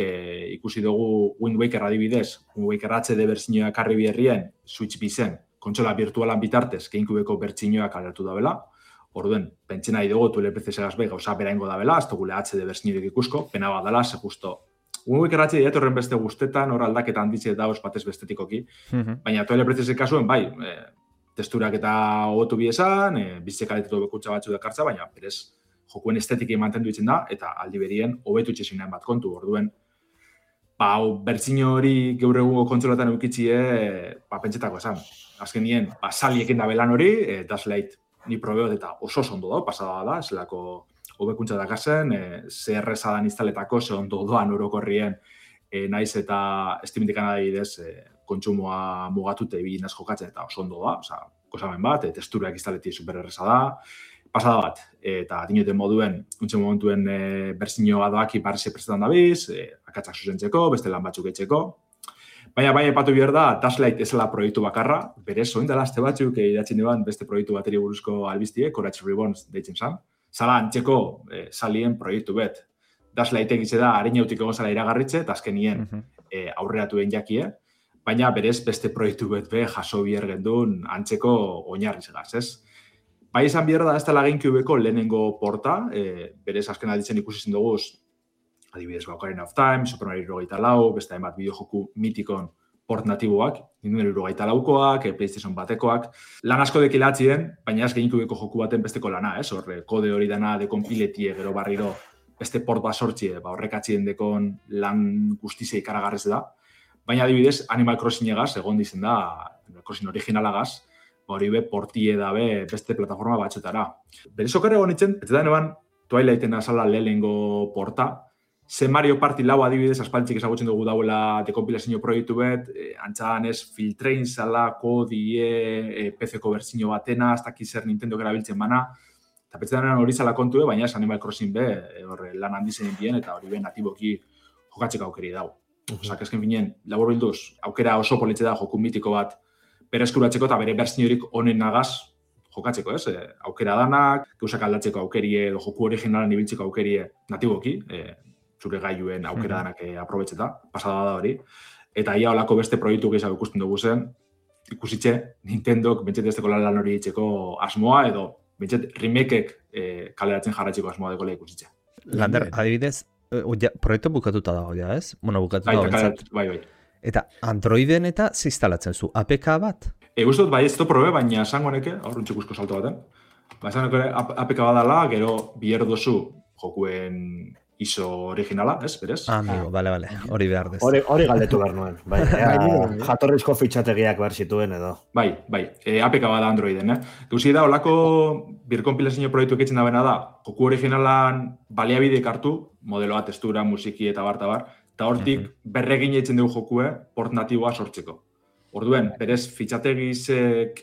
ikusi dugu Wind Waker adibidez, Wind Waker HD bertsinoa karri biherrien, Switch bizen, kontsola virtualan bitartez, GameCube-eko bertsinoak alertu da bela, orduen, pentsen nahi dugu, Twilight Princess gauza beraingo da bela, ez dugule HD bertsinorik ikusko, pena bat dela, ze justo. Wind Waker HD diat horren beste guztetan, hor aldaketa handitze da batez bestetikoki, baina Twilight Princess kasuen, bai, testurak eta hobetu biesan, bizekaletetu bekutsa batzu dakartza, baina berez jokuen estetiki mantendu itzen da, eta aldi berien hobetu itxesin bat kontu, orduen, bertsino hori gaur egungo kontsolatan eukitzie, pentsetako esan. Azken nien, saliekin da belan hori, Dash Lite ni probeot eta oso ondo da, pasada da, eselako hobekuntza dakazen, CRS dan instaletako, ze ondo doan orokorrien, naiz eta estimintikan adibidez, kontsumoa mugatute bilinaz jokatzen eta oso ondo da, oza, gozamen bat, testurak instaleti supererreza da, pasada bat, eta dinoten moduen, untxe momentuen bertsino adoaki parrize prestetan dabiz, akatzak zuzentzeko, beste lan batzuk etxeko. Baina bai epatu behar da, Dash Lite ezela proiektu bakarra, berez, oin dela azte batzuk idatzen duan beste proiektu bateri buruzko albiztie, Courage Reborns deitzen zan. Zala antxeko salien proiektu bet. Dash Lite egitze da, harin jautik egon zala iragarritze, eta azkenien aurreratuen jakie, baina berez beste proiektu bet be jaso biher gendun antxeko oinarri zegaz, ez? Bai izan behar da, ez dela GameCube-eko lehenengo porta, berez azken alditzen ikusi zen dugu, adibidez Ocarina of Time, Super Mario 64, beste hainbat bideojoku mitikon port natiboak, Nintendo 64koak, PlayStation batekoak, lan asko dekilatzien, baina ez GameCube-eko joku baten besteko lana, ez? Horre, kode hori dana dekonpiletie, gero barriro, beste port bat sortzie, horrek atzien dekon lan guztizei ikaragarrez da. Baina adibidez, Animal Crossing egaz, egon dizen da, Animal Crossing originalagaz, hori be portie dabe beste plataforma batxetara. Berez okerre egon itzen, ez da neban Twilighten azala lehenengo porta, ze Mario Party lau adibidez aspaltzik ezagutzen dugu dauela dekompilazio proiektu bet, antxadan ez filtrein zala, kodie, PC-ko bertsio batena, hasta zer Nintendo erabiltzen bana, eta petzetan hori zala kontue, baina ez Animal Crossing be, lan handizen bien, eta hori be natiboki jokatzeko aukeri dau. Osak, ezken finien, labur bilduz, aukera oso politxe da joku mitiko bat bereskuratzeko eta bere bertsiorik honen nagaz jokatzeko, ez? Aukera danak, gauzak aldatzeko aukerie, edo joku originalan ibiltzeko aukerie natiboki, zure gailuen aukera danak aprobetxeta, pasada da hori. Eta ia olako beste proiektu gehiago ikusten dugu zen, ikusitxe Nintendok bentset ezteko lan hori itxeko asmoa, edo bentset remakeek kaleratzen jarratzeko asmoa dekola ikusitxe. Lander, adibidez, proiektu bukatuta dago, ja, ez? Bueno, bukatuta dago bentsat. Bai. Eta Androiden eta ziztalatzen zu, APK bat? Guztot, bai, ez to probe, baina esango neke, aurruntxikusko salto baten. Esango neke APK badala, gero biher dozu jokuen ISO originala, ez, berez? Amigo, bale, hori behar dez. Hori galdetu behar nuen, bai. Jatorrizko fitxategiak behar zituen edo. Bai, APK bada Androiden, Gauzi da, olako birkonpilazio proiektu ekitzen da bena da, joku originalan baliabideek hartu, modeloa, testura, musiki eta bar, eta hortik berregin eitzen dugu jokue port natiboa sortzeko. Orduen, berez, fitxategizek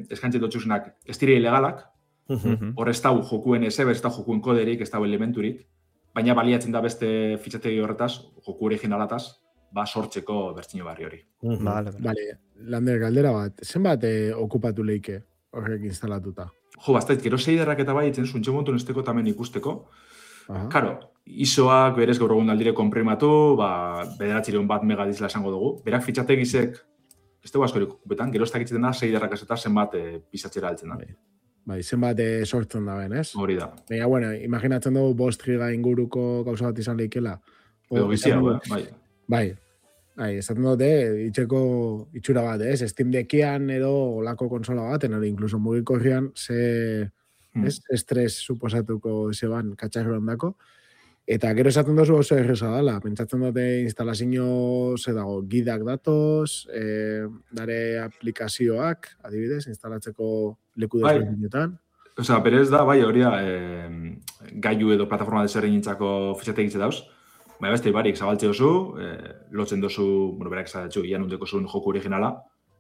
eskantzen dutxusenak ez dire ilegalak, hor ez dau jokuen ez dau jokuen koderik, ez dau elementurik, baina baliatzen da beste fitxategi horretaz, joku originalataz, sortzeko bertsio barri hori. Bale, Lander, galdera bat, zenbat okupatu leike horrek instalatuta? Jo, bastait, gero seiderrak eta bai itzen zuntxe montun esteko tamen ikusteko. Karo, ISOak berez gaur egun aldire konprimatu, bederatzireun bat megadizla esango dugu. Berak fitxategizek, ez dugu askorik okupetan, gero ez dakitzen da seiderrak eta zenbat pisatzera altzen da. Bai, zenbat sortzen da ben, ez? Hori da. Baina, bueno, imaginatzen dugu 5 giga inguruko gauza bat izan leikela. Edo bizia, bai. Bai, esaten dute, itxura bat, ez? Steam Deckian edo olako konsola baten, hori inkluso mugikorrian, estres suposatuko zeban katxarro ondako. Eta gero esaten duzu oso erresa dela, pentsatzen dute instalazio ze dago, gidak datoz, dare aplikazioak, adibidez, instalatzeko leku desberdinetan. Osea, berez da, bai, hori da, gailu edo plataforma desberdinintzako fitxategitze dauz, baina beste barik zabaltze dozu, lotzen dozu, bueno, berak esatetxu, ian undeko zuen joku originala,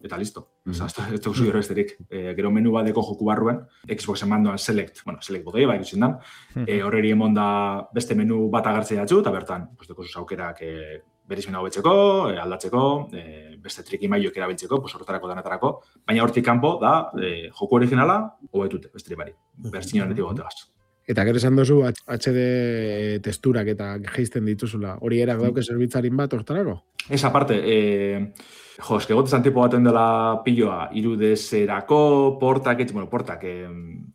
eta listo. Osea, ez duzu gero besterik. Gero menu badeko joku barruen, Xboxen mandoan select botei, bai, ikusten dan, horreri emon da beste menu bat agertzea datzu, eta bertan, deko zuz aukerak berizmena hobetzeko, aldatzeko, beste trikimailoek erabiltzeko, horretarako danetarako, baina hortik kanpo da joku originala hobetute, besterik bari, bertzino honetik gotegaz. Eta gero esan duzu HD testurak eta geisten dituzula. Hori erak dauke zerbitzarin bat hortarako? Ez aparte, eske gotezan tipo baten dela piloa, 3DS-erako, portak,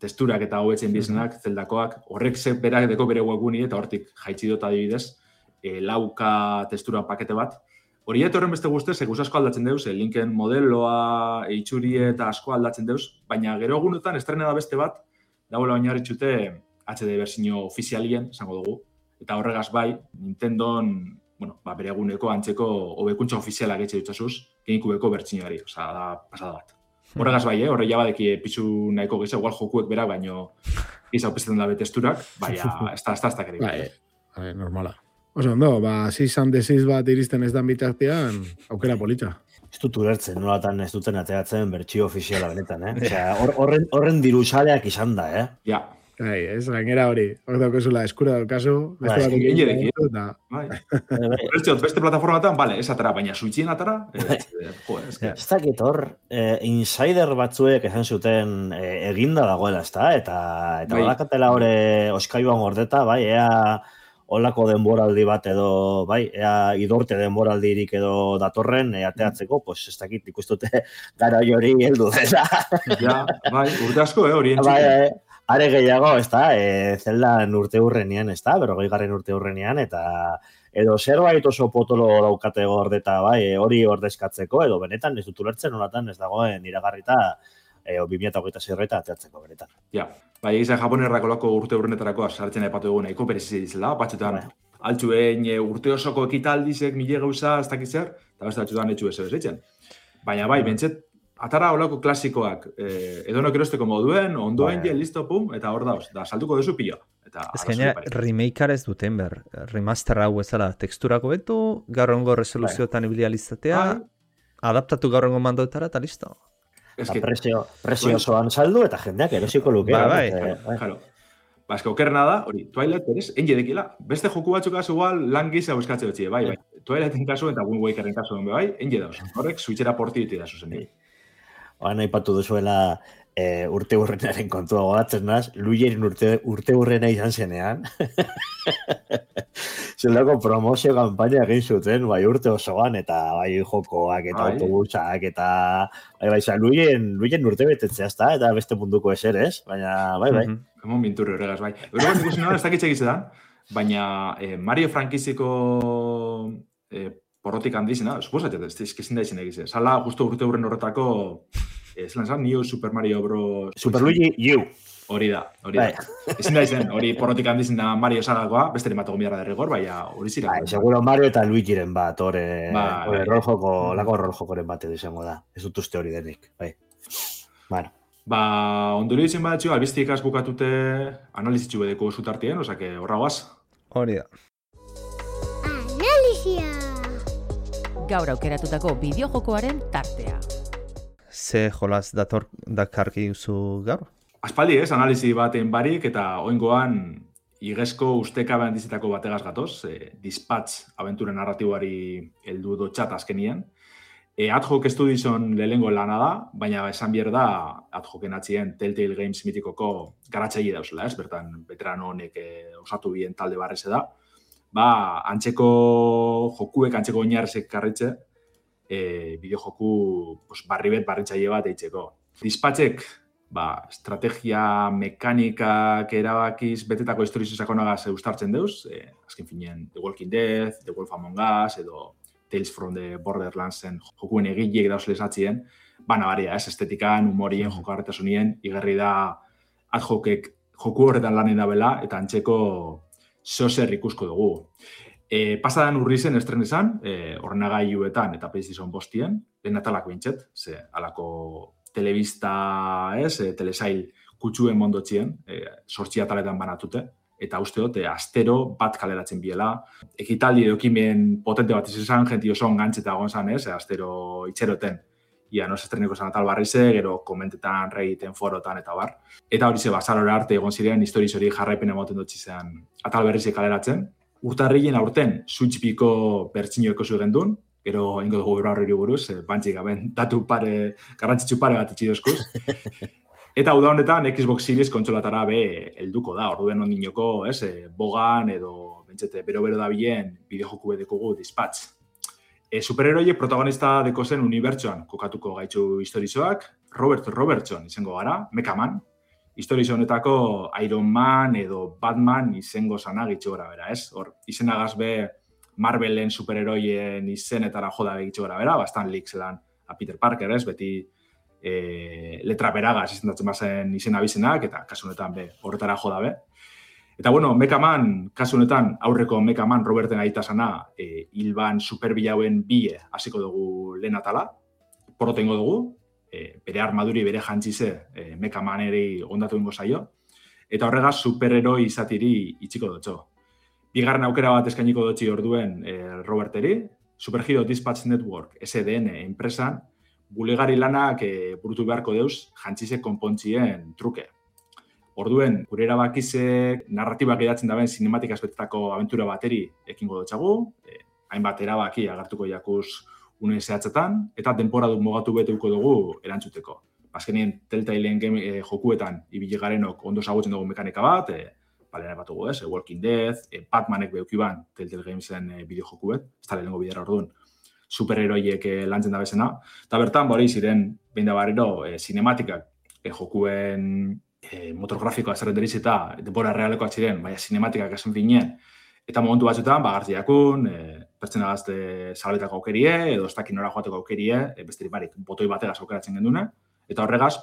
testurak eta hobetzen bizenak, zeldakoak, horrek berak deko bere webguni eta hortik jaitsi dut adibidez, lauka testura pakete bat. Hori horren beste guztez, eguz asko aldatzen deuz, linken modeloa, itxuri eta asko aldatzen deuz, baina gero egunetan estrena da beste bat, dagoela oinarritxute HD versiño ofizialien, esango dugu, eta horregaz bai, Nintendon, bere eguneko antzeko hobekuntza ofizialak etxe dutzasuz, genikubeko bertxinoari, osea, da pasada bat. Horregaz bai, horre jabadeki pizu nahiko gisa, igual jokuek berak, baino gisa opizetan dabe testurak, baina ez da kere. Bai, normala. Oso, ondo, zizan desiz bat iristen ez dan bitartean, aukera politxa. Ez dut ulertzen, nolatan ez duten ateatzen bertxio ofiziala benetan, Osea, horren dirusaleak izan da, Ja. Ez, gainera hori. Hor daukezula eskura daukazu. Beste plataformatan, ez atara, baina suitzien atara. Ez dakit hor, insider batzuek esan zuten eginda dagoela, eta badakatela hori oskaiuan gordeta, ea olako denboraldi bat edo, ea idorte denboraldirik edo datorren ateatzeko, ez dakit ikustute gara hori heldu dela. Ja, urte asko, hori entzuten. Are gehiago, zeldan urte hurrenean, berrogeigarren urte hurrenean, eta edo zerbait oso potolo daukate gordeta, hori ordezkatzeko, edo benetan ez dut ulertzen, nolatan ez dagoen iragarrita 2026 ateatzeko benetan. Ja, egizan japonerrako lako urte hurrenetarako sartzen aipatu dugu nahiko berezi dizela, batxutan altxuen urte osoko ekitaldizek mile gauza ez dakitzer, eta beste batxutan etxu ez ezitzen. Baina bentset, atara holako klasikoak, edonok erosteko moduen, ondoen listo, pum, eta hor dauz, da saltuko duzu pilo. Ez gaina, remakear ez duten ber, remaster hau ezala, teksturako betu, gaur egungo resoluzioetan ibializatea, adaptatu gaur egungo mandoetara, eta listo. Presio osoan saldu, eta jendeak erosiko luke. Ez que okerrena da, hori, Twilight berez, engedekila, beste joku batzukaz igual lan giza buskatze dutxie, Twilighten kasu eta Wind Wakeren kasuen engedauz. Horrek, switchera porti ditu da zuzen. Nahi patu duzuela urte hurrenaren kontua gogatzen naz, Luieren urte hurrena izan zenean. Zeldako promozio kampaina egin zuten, urte osoan, eta jokoak, eta autobusak, eta Luien urte betetzea, eta beste munduko eser, ez? Baina, Hemon binturri horregaz, Horregan ikusi nada, ez dakitxe egizetan, baina Mario frankiziko porrotik handizena, suposatzen, ez kezin da izan egize. Sala, justo urte hurren horretako, zelan zan, New Super Mario Bros. Super Luigi U. Hori da. Ezin da izan, hori porrotik handizena Mario salakoa, beste emato gomiarra derregor, hori zira. Seguro Mario eta Luigiren bat, lako roljokoren bat edo izango da. Ez dut uste hori denik, Bueno. Ondori ditzen badatxo, albiztik bukatute analizitxu bedeko zutartien, osake horra guaz. Hori da. Analizia! Gaur aukeratutako bideojokoaren tartea. Ze jolaz dakarki duzu gaur? Aspaldi analizi baten barik eta oingoan igezko ustekabe handizetako bategaz gatoz, Dispatch abentura narratiboari heldu dotxat azkenien. Ad hoc Studiosen lehengo lana da, baina esan bier da ad hocen atzien Telltale Games mitikoko garatzaile dauzela, ez? Bertan, veterano honek osatu bien talde barreze da. Antzeko jokuek, antzeko oinarrezek karritze, bideojoku barribet barritzaile bat eitzeko. Dispatchek, estrategia mekanikak erabakiz betetako historizo sakonagaz eustartzen deuz, azken finean The Walking Dead, The Wolf Among Us, edo Tales from the Borderlandsen jokuen egileek dauzlez atzien, nabaria, estetikan, humorien, joko harretasunien, igerri da ad hocek joku horretan lanen dabela, eta antzeko zozer ikusko dugu. Pasadan urrizen estren izan, ordenagailuetan eta PlayStation 5-ien, lehen atalak bintxet, ze alako telebista, telesail kutsuen mondotxien, 8 ataletan banatute, eta uste dut, astero bat kaleratzen biela. Ekitaldi edo ekimen potente bat izan, jenti oso ongantzeta egon zan, astero itxeroten, ia nos estreneko zan atal barrize, gero komentetan, reiten, forotan, eta bar. Eta hori ze, bazarora arte egon ziren, historiz hori jarraipen emoten dutzi zen atal berrize kaleratzen. Urtarrilen aurten, Switch-piko bertxinoeko zuen duen, gero ingo dugu berra horri buruz, bantzik gaben datu garrantzitsu pare bat itxi dozkuz. Eta uda honetan, Xbox Series kontsolatara helduko da, orduen ondinoko, bogan edo bentsete bero-bero dabilen bideojoku bedekogu Dispatch. Superheroiek protagonista deko zen unibertsoan kokatuko gaitxu historizoak, Robert Robertson izango gara, Mechaman, historizo honetako Iron Man edo Batman izango zana gitxo gara bera, Hor, izenagaz Marvelen superheroien izenetara joda begitxo gara bera, Stan Lee zelan a Peter Parker, beti letra beragaz izendatzen bazen izen abizenak, eta kasu honetan horretara joda be. Eta bueno, Mechaman, kasu honetan aurreko Mechaman Roberten aitasana, hilban superbilauen bie hasiko dugu lehen atala, porotengo dugu, bere armaduri, bere jantzize Mechamaneri ondatu ingo zaio, eta horregaz superheroi izatiri itxiko dutxo. Bigarren aukera bat eskainiko dutxi orduen Roberteri, Superhero Dispatch Network, SDN enpresan, bulegari lanak burutu beharko deuz jantzize konpontzien truke. Orduen, gure erabakizek narratibak edatzen daben sinematik aspektetako abentura bateri ekingo dutxagu, hainbat erabaki agartuko jakuz une zehatzetan, eta denporaduk mogatu beteuko dugu erantzuteko. Azkenien, Telltaileen jokuetan ibili garenok ondo zagutzen dugu mekanika bat, balena bat dugu, Walking Dead, Batmanek beukiban Telltale Gamesen bideojokuet, ez da lehenengo bidera orduan, superheroiek lantzen da bezena, eta bertan, bori ziren, behin da barriro, sinematikak jokuen motorgrafikoa zerrenderiz eta denbora realekoak ziren, baina sinematikak esan finien, eta momentu batzutan, gartziakun, pertsena gazte zabaletako aukerie, edo ez dakin nora joateko aukerie, besterik barik, botoi batera aukeratzen gendune, eta horregaz,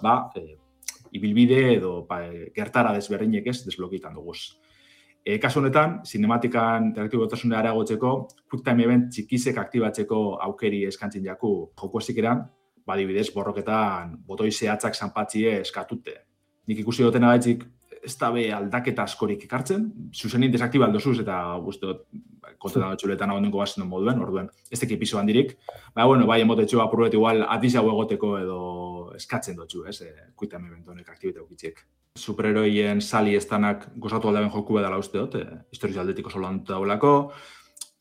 ibilbide edo gertara desberdinek ez desblokitan duguz. Kasu honetan, sinematikan interaktibotasunea areagotzeko, QuickTime Event txikizek aktibatzeko aukeri eskantzin jaku joku ezikeran, adibidez, borroketan botoi zehatzak zanpatzie eskatute. Nik ikusi duten agaitzik, ez da aldaketa askorik ekartzen, zuzenin desaktiba aldozuz eta guztot kontetan txuletan agondunko bazen moduen, orduen, ez teki epizoan dirik. Bai, emotetxo apurbet igual atiz hau egoteko edo eskatzen dutxu, QuickTime Event honek aktibite aukitziek. Superheroien sali estanak gozatu aldaben joku bedala uste dut, historiz aldetik oso lantuta daulako,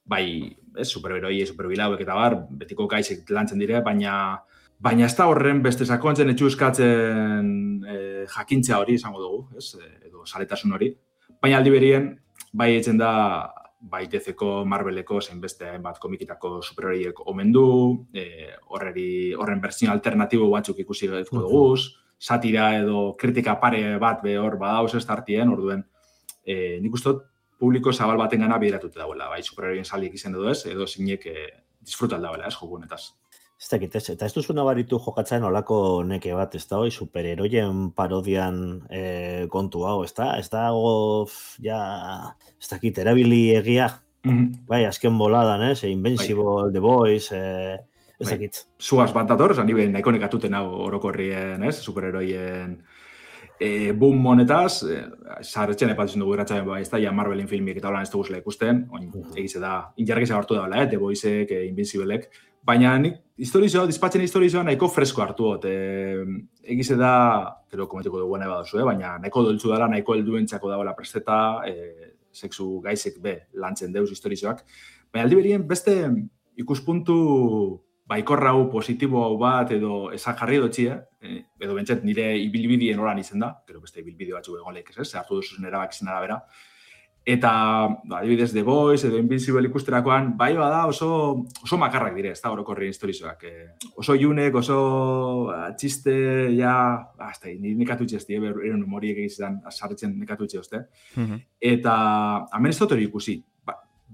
bai, superheroi, superbilauek eta bar, betiko gaizek lantzen dire, baina ez da horren beste sakontzen etxu eskatzen jakintzea hori izango dugu, edo saletasun hori. Baina aldi berien, bai etzen da, bai DC-ko, Marveleko, zein beste bat komikitako superheroiek omen du, horren bertsio alternatibo batzuk ikusi gaizko duguz, satira edo kritika pare bat hor badauz ez tartien, orduen, nik uste publiko zabal baten gana bideratute dauela, bai superheroien saliek izen edo zinek disfrutal dauela, joku honetaz. Ez dakit, eta ez duzu nabaritu jokatzen olako neke bat, ez da hoi, superheroien parodian kontu hau, ez da? Ez dago, ez dakit, erabili egia, bai, azken boladan, Invincible, The Boys, ez dakit. Zuaz bat dator, nire nahiko nekatuten hau orokorrien, superheroien boom monetaz, sarretzen epatzen dugu irratxaben, ez da, Marvelin filmiek eta holan ez duguzela ikusten, egize da, injargiza hartu daula, The Boysek, Invinciblek, baina nik dispatchen historizoa nahiko fresko hartu dut. Egize da, gero komentiko dugu nahi badozu, baina nahiko doltzu dela, nahiko helduentzako dagoela presteta, sexu gaizek lantzen deuz historizoak. Baina aldi berien beste ikuspuntu baikorra hau, positibo hau bat, edo esan jarri dutxia, edo bentset nire ibilbidien horan izen da, gero beste ibilbide batzu egon lehik ez, hartu duzun erabak izan arabera. Eta, adibidez, The Boys edo Invincible ikusterakoan, bai bada oso makarrak dire, ez da orokorrien historizoak. Oso iunek, oso txiste, nekatutxe ez die, eren humoriek egizan sarritzen nekatutxe ozte. Eta, hemen ez dut hori ikusi.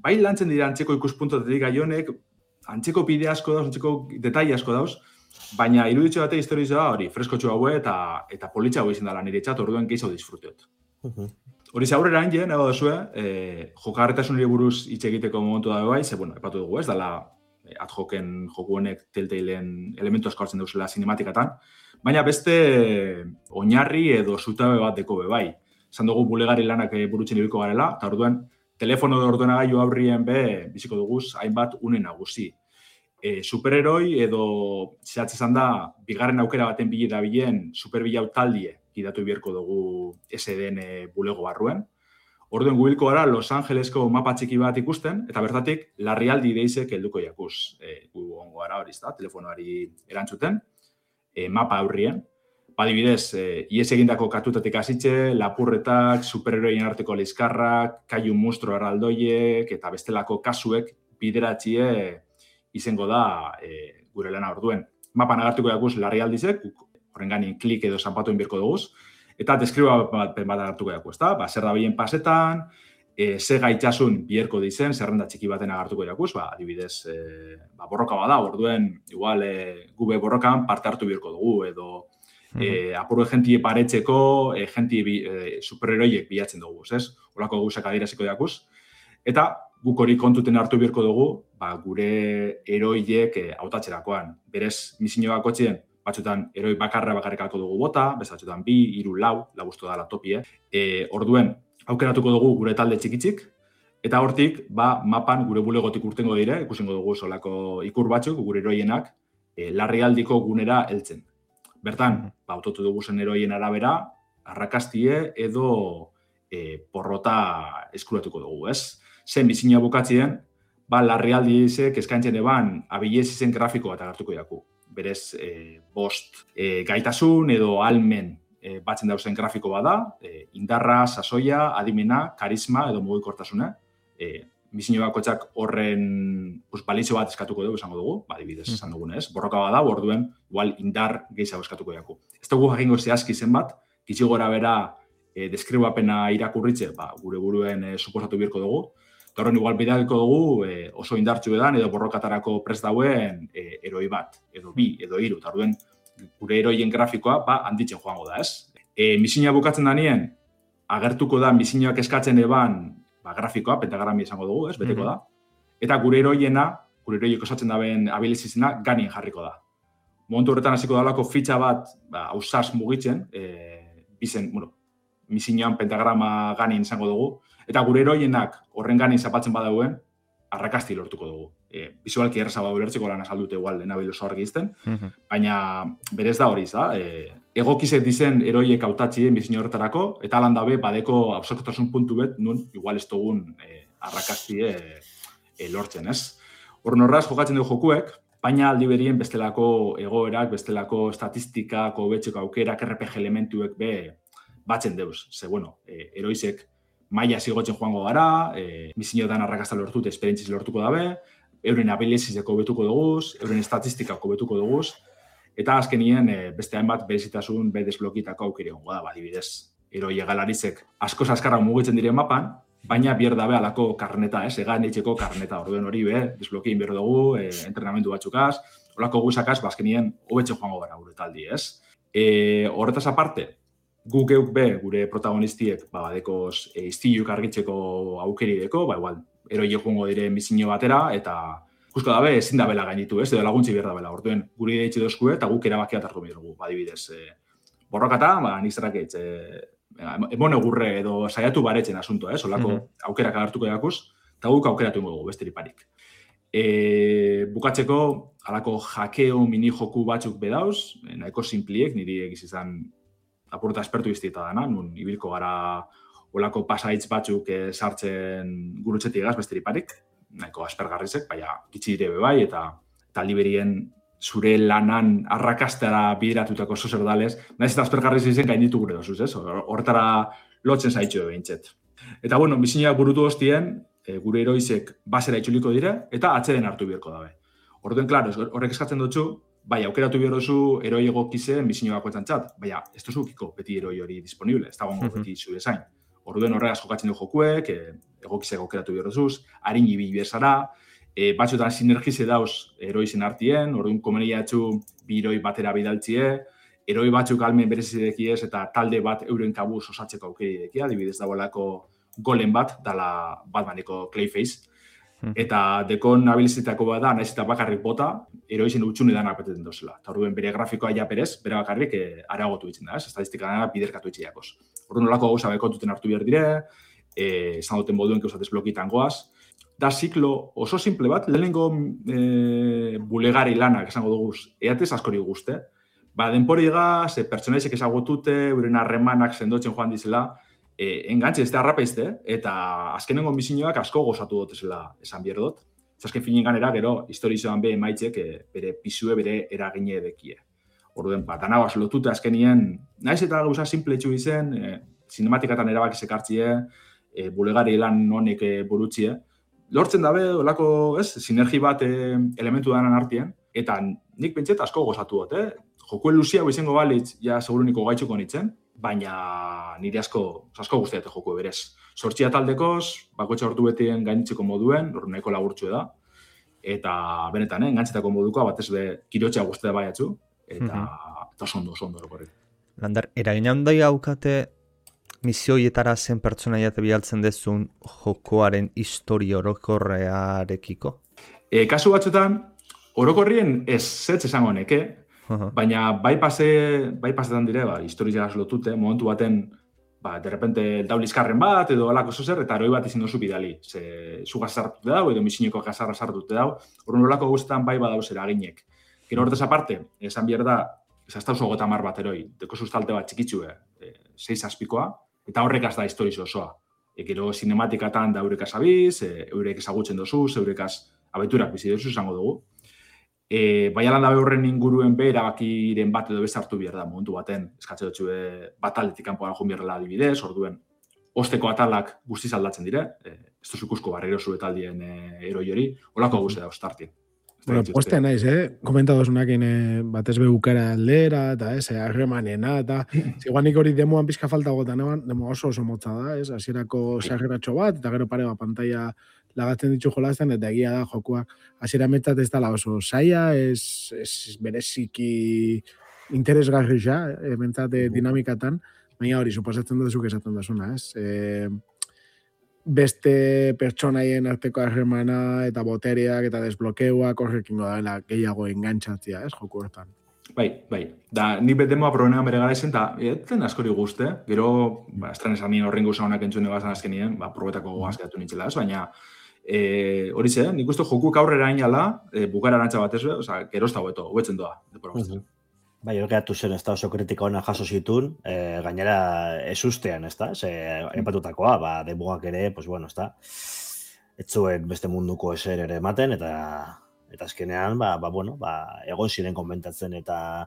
Bai lantzen dira antzeko ikuspuntotetik gaionek, antzeko bide asko dauz, antzeko detaile asko dauz, baina iruditxo bate historizoa hori, fresko txu haue eta politxa hau izan dela nire txat, orduen gehiago disfruteot. Hori aurrera hain nago duzue, jokagarritasunari buruz hitz egiteko momentu da bai, ze, bueno, epatu dugu, ez dala ad hocen joku honek Telltalen elementu asko hartzen duzela sinematikatan, baina beste oinarri edo zutabe bat deko bai. Esan dugu bulegari lanak burutzen ibiliko garela, eta orduan, telefono edo ordenagailu aurrien biziko duguz, hainbat une nagusi. Superheroi edo zehatz izan da, bigarren aukera baten bilera bilen superbilau taldie gidatu bierko dugu SDN bulego barruen. Orduan gubilko gara Los Angelesko mapa txiki bat ikusten, eta bertatik larrialdi deizek helduko jakuz. Gu ongo gara hori da, telefonoari erantzuten, mapa aurrien. Badibidez, ies egindako kartutatik hasitxe, lapurretak, superheroien arteko lizkarrak, kaiun monstro erraldoiek, eta bestelako kasuek bideratxie izango da gure lana orduen. Mapan agartuko jakuz larrialdizek, horren ganin klik edo zanpatuen birko duguz, eta deskriba bat agartuko jakuz, zer da bilen pasetan, ze gaitxasun bierko dizen, zerrenda txiki baten agartuko jakuz, adibidez, borroka bada, orduen, igual, gube borrokan parte hartu birko dugu, edo apurue jentie paretzeko, jentie superheroiek bilatzen dugu, ez? Olako guzak adiraziko jakuz. Eta guk hori kontuten hartu birko dugu, gure heroiek hautatxerakoan. Berez, misinio bakotxien, batzutan heroi bakarrikako dugu bota, bezatzutan 2, 3, 4, lagustu da laptopie. Orduen, aukeratuko dugu gure talde txikitzik, eta hortik, mapan gure bulegotik urtengo dire, ikusengo dugu solako ikur batzuk, gure heroienak, larrialdiko gunera heltzen. Bertan, autotu dugu zen heroien arabera, arrakastie edo porrota eskuratuko dugu, ez? Zen bizina bukatzien, larrialdi izek eskaintzen eban abilez izen grafiko bat agartuko jaku. Berez, bost gaitasun edo almen batzen dauzen grafiko bada, indarra, sasoia, adimena, karisma edo mugikortasuna. Bizino bakotxak horren balizio bat eskatuko dugu, esango dugu, adibidez esan dugunez. Borroka bada, orduen, igual indar gehiago eskatuko jaku. Ez dugu jakingo zehazki zenbat, gitxi gora bera deskribapena irakurritze, gure buruen suposatu birko dugu. Eta horren igual bidaliko dugu oso indartxu edan edo borrokatarako prest dauen heroi bat, edo 2, edo 3. Eta orduen gure heroien grafikoa handitzen joango da, ez? Misina bukatzen danien, agertuko da misinoak eskatzen eban grafikoa, pentagrami esango dugu, ez? Beteko da. Eta gure heroiek osatzen daben abilizizena ganin jarriko da. Momentu horretan hasiko dalako fitxa bat ausaz mugitzen, misinoan pentagrama ganin izango dugu, eta gure heroienak horren ganin zapatzen badauen, arrakasti lortuko dugu. Bizualki errazago ulertzeko lan azaldute igual enabil oso argi izten, baina berez da hori, egokizet dizen heroiek hautatxien bizino horretarako, eta alan dabe badeko absorkotasun puntu bet, nun igual ez dugun arrakastie lortzen, ez? Horren horraz jokatzen dugu jokuek, baina aldi berien bestelako egoerak, bestelako estatistikako betxeko aukerak, RPG elementuek batzen deuz. Ze, heroizek maila zigotzen joango gara, misioetan arrakasta lortut, esperientziz lortuko dabe, euren abilizizeko betuko duguz, euren estatistikako betuko duguz, eta azkenien beste hainbat berezitasun desblokitako aukeri hongo da, adibidez. Heroi egalarizek asko azkarra mugitzen diren mapan, baina bier dabe alako karneta, egan eitxeko karneta, orduen hori desblokien behar dugu, entrenamendu batzukaz, olako guzakaz, azkenien hobetzen joango gara gure taldi, ez? Horretaz aparte, guk geuk gure protagonistiek badekoz iztiluk argitzeko aukeri deko, igual, heroi joango dire misino batera, eta ikusko dabe ezin dabela gainitu, ez? Edo laguntzi behar dabela, orduen guri deitxe dozkue, eta guk erabakia hartu behar dugu, adibidez. Borrokata, nik zerraketz, emone gurre edo saiatu baretzen asuntoa, olako aukerak agartuko jakuz, eta guk aukeratu dugu, besterik parik. Bukatzeko, alako jakeo mini joku batzuk bedauz, nahiko simpliek, niri egiz izan apurta espertu iztieta dana, nun ibilko gara olako pasaitz batzuk sartzen gurutzetik egaz, besterik parik, nahiko aspergarrizek, baina gitsi dire bai, eta liberien zure lanan arrakastara bideratutako sozerdales, nahiz eta aspergarriz izen gainditu gure dozuz, ez? Hortara lotzen zaitxo behintzet. Eta, misinoak burutu hostien, gure heroizek basera itxuliko dire, eta atzeden hartu biherko dabe. Orduen, klaro, horrek eskatzen dutzu, bai, aukeratu behar duzu heroi egokizen bizino bakoetan txat, baina ez duzukiko beti heroi hori disponible, ez dagoengo beti zure zain. Orduen horregaz jokatzen du jokuek, egokizek aukeratu behar duzuz, harin ibili bezara, batzutan sinergize dauz heroizen artien, orduan komenia etxu bi heroi batera bidaltzie, eroi batzuk almen berezidekiez eta talde bat euren kabuz osatzeko aukerideki, adibidez dagoelako Golem bat, dala Batmaneko Clayface, eta dekon abilizitako bat da, naiz eta bakarrik bota, eroizen utxune danak beteten dozela. Eta orduen bere grafikoa ja berez, bere bakarrik areagotu ditzen da, estatistika biderkatu itxiakoz. Orduan olako gauza bekontuten hartu behar dire, esan duten moduen keuzatez blokitan goaz. Da ziklo oso simple bat, lehenengo bulegari lanak esango duguz, eatez askori guzte. Denpori egaz, pertsonaizek ezagutute, euren harremanak sendotzen joan dizela, engantze ez da arrapeizte, eta azkenengo bizinoak asko gozatu dutezela esan behar dut. Azken finen ganera, gero, historizoan be emaitzek bere pisue, bere eragine edekie. Orduen, danabaz lotute azkenien, naiz eta gauza simple etxu izen, sinematikatan erabak ezekartzie, bulegari lan honek burutzie. Lortzen dabe, olako, sinergi bat elementu danan artien, eta nik pentset asko gozatu dut, Jokuen luzia izango balitz, ja seguruniko gaitxuko nitzen, baina nire asko guztiate joku berez. Sortxia taldekoz, bakoetxe hortu betien gainitzeko moduen, nahiko laburtxu da, eta benetan, engantzetako modukoa, batez be, kirotxea guztia baiatzu, eta oso ondo horrekorri. Lander, eragin handai haukate misioietara zen pertsonaiat bialtzen dezun jokoaren historia orokorrearekiko? Kasu batzutan, orokorrien ez zetz esango neke, baina bai pasetan dire, historiak lotute, momentu baten, derrepente daulizkarren bat, edo alako zozer, eta eroi bat izin dozu bidali. Zu gazartute dau, edo misineko gazarra sartute dau, horren olako guztetan bai badauz eraginek. Gero hortez aparte, esan behar da, ez oso gota mar bat eroi, deko sustalte bat txikitsue, 6 azpikoa, eta horrek az da historizo osoa. Gero sinematikatan da eurekaz abiz, eurek ezagutzen dozuz, eurekaz abeturak bizi dozuz izango dugu. Bai alan dabe horren inguruen be, erabakiren bat edo bezartu behar da, momentu baten, eskatze dutxu bat aldetik kanpoan joan beharrela adibidez, orduen, osteko atalak guztiz aldatzen dire, ez duzukusko barrero zuetaldien eroi hori, holako guzti da ostartien. Bueno, postea naiz, komentadozunakin batez behukara aldera, eta harremanena, eta ziguan nik hori demoan pizka falta gotan, demo oso motza da, hasierako sarreratxo bat, eta gero pare bat pantalla lagatzen ditu jolazten, eta egia da jokuak hasiera metzat ez dala oso saia, ez bereziki interesgarri ja, mentzat dinamikatan, baina hori, suposatzen duzuk esaten duzuna, beste pertsonaien arteko harremana eta botereak eta desblokeuak horrekin dela gehiago engantzatzea, joku hortan. Bai. Da, nik betemoa problemea bere gara izen, eta etzen askori guzte, gero, estran esan nien horren gauza honak entzune bazan azkenien, probetako goazkeatu nintzela, baina hori ze, nik uste jokuk aurrera inala, bukara arantza batez, gero ez da hobetzen doa. Bai, horreatu zen, ez da oso kritika hona jaso zitun, gainera ez ustean, ez da, epatutakoa, demugak ere, pues bueno, ez da, ez zuen beste munduko eser ere ematen, eta azkenean, egon ziren konbentatzen eta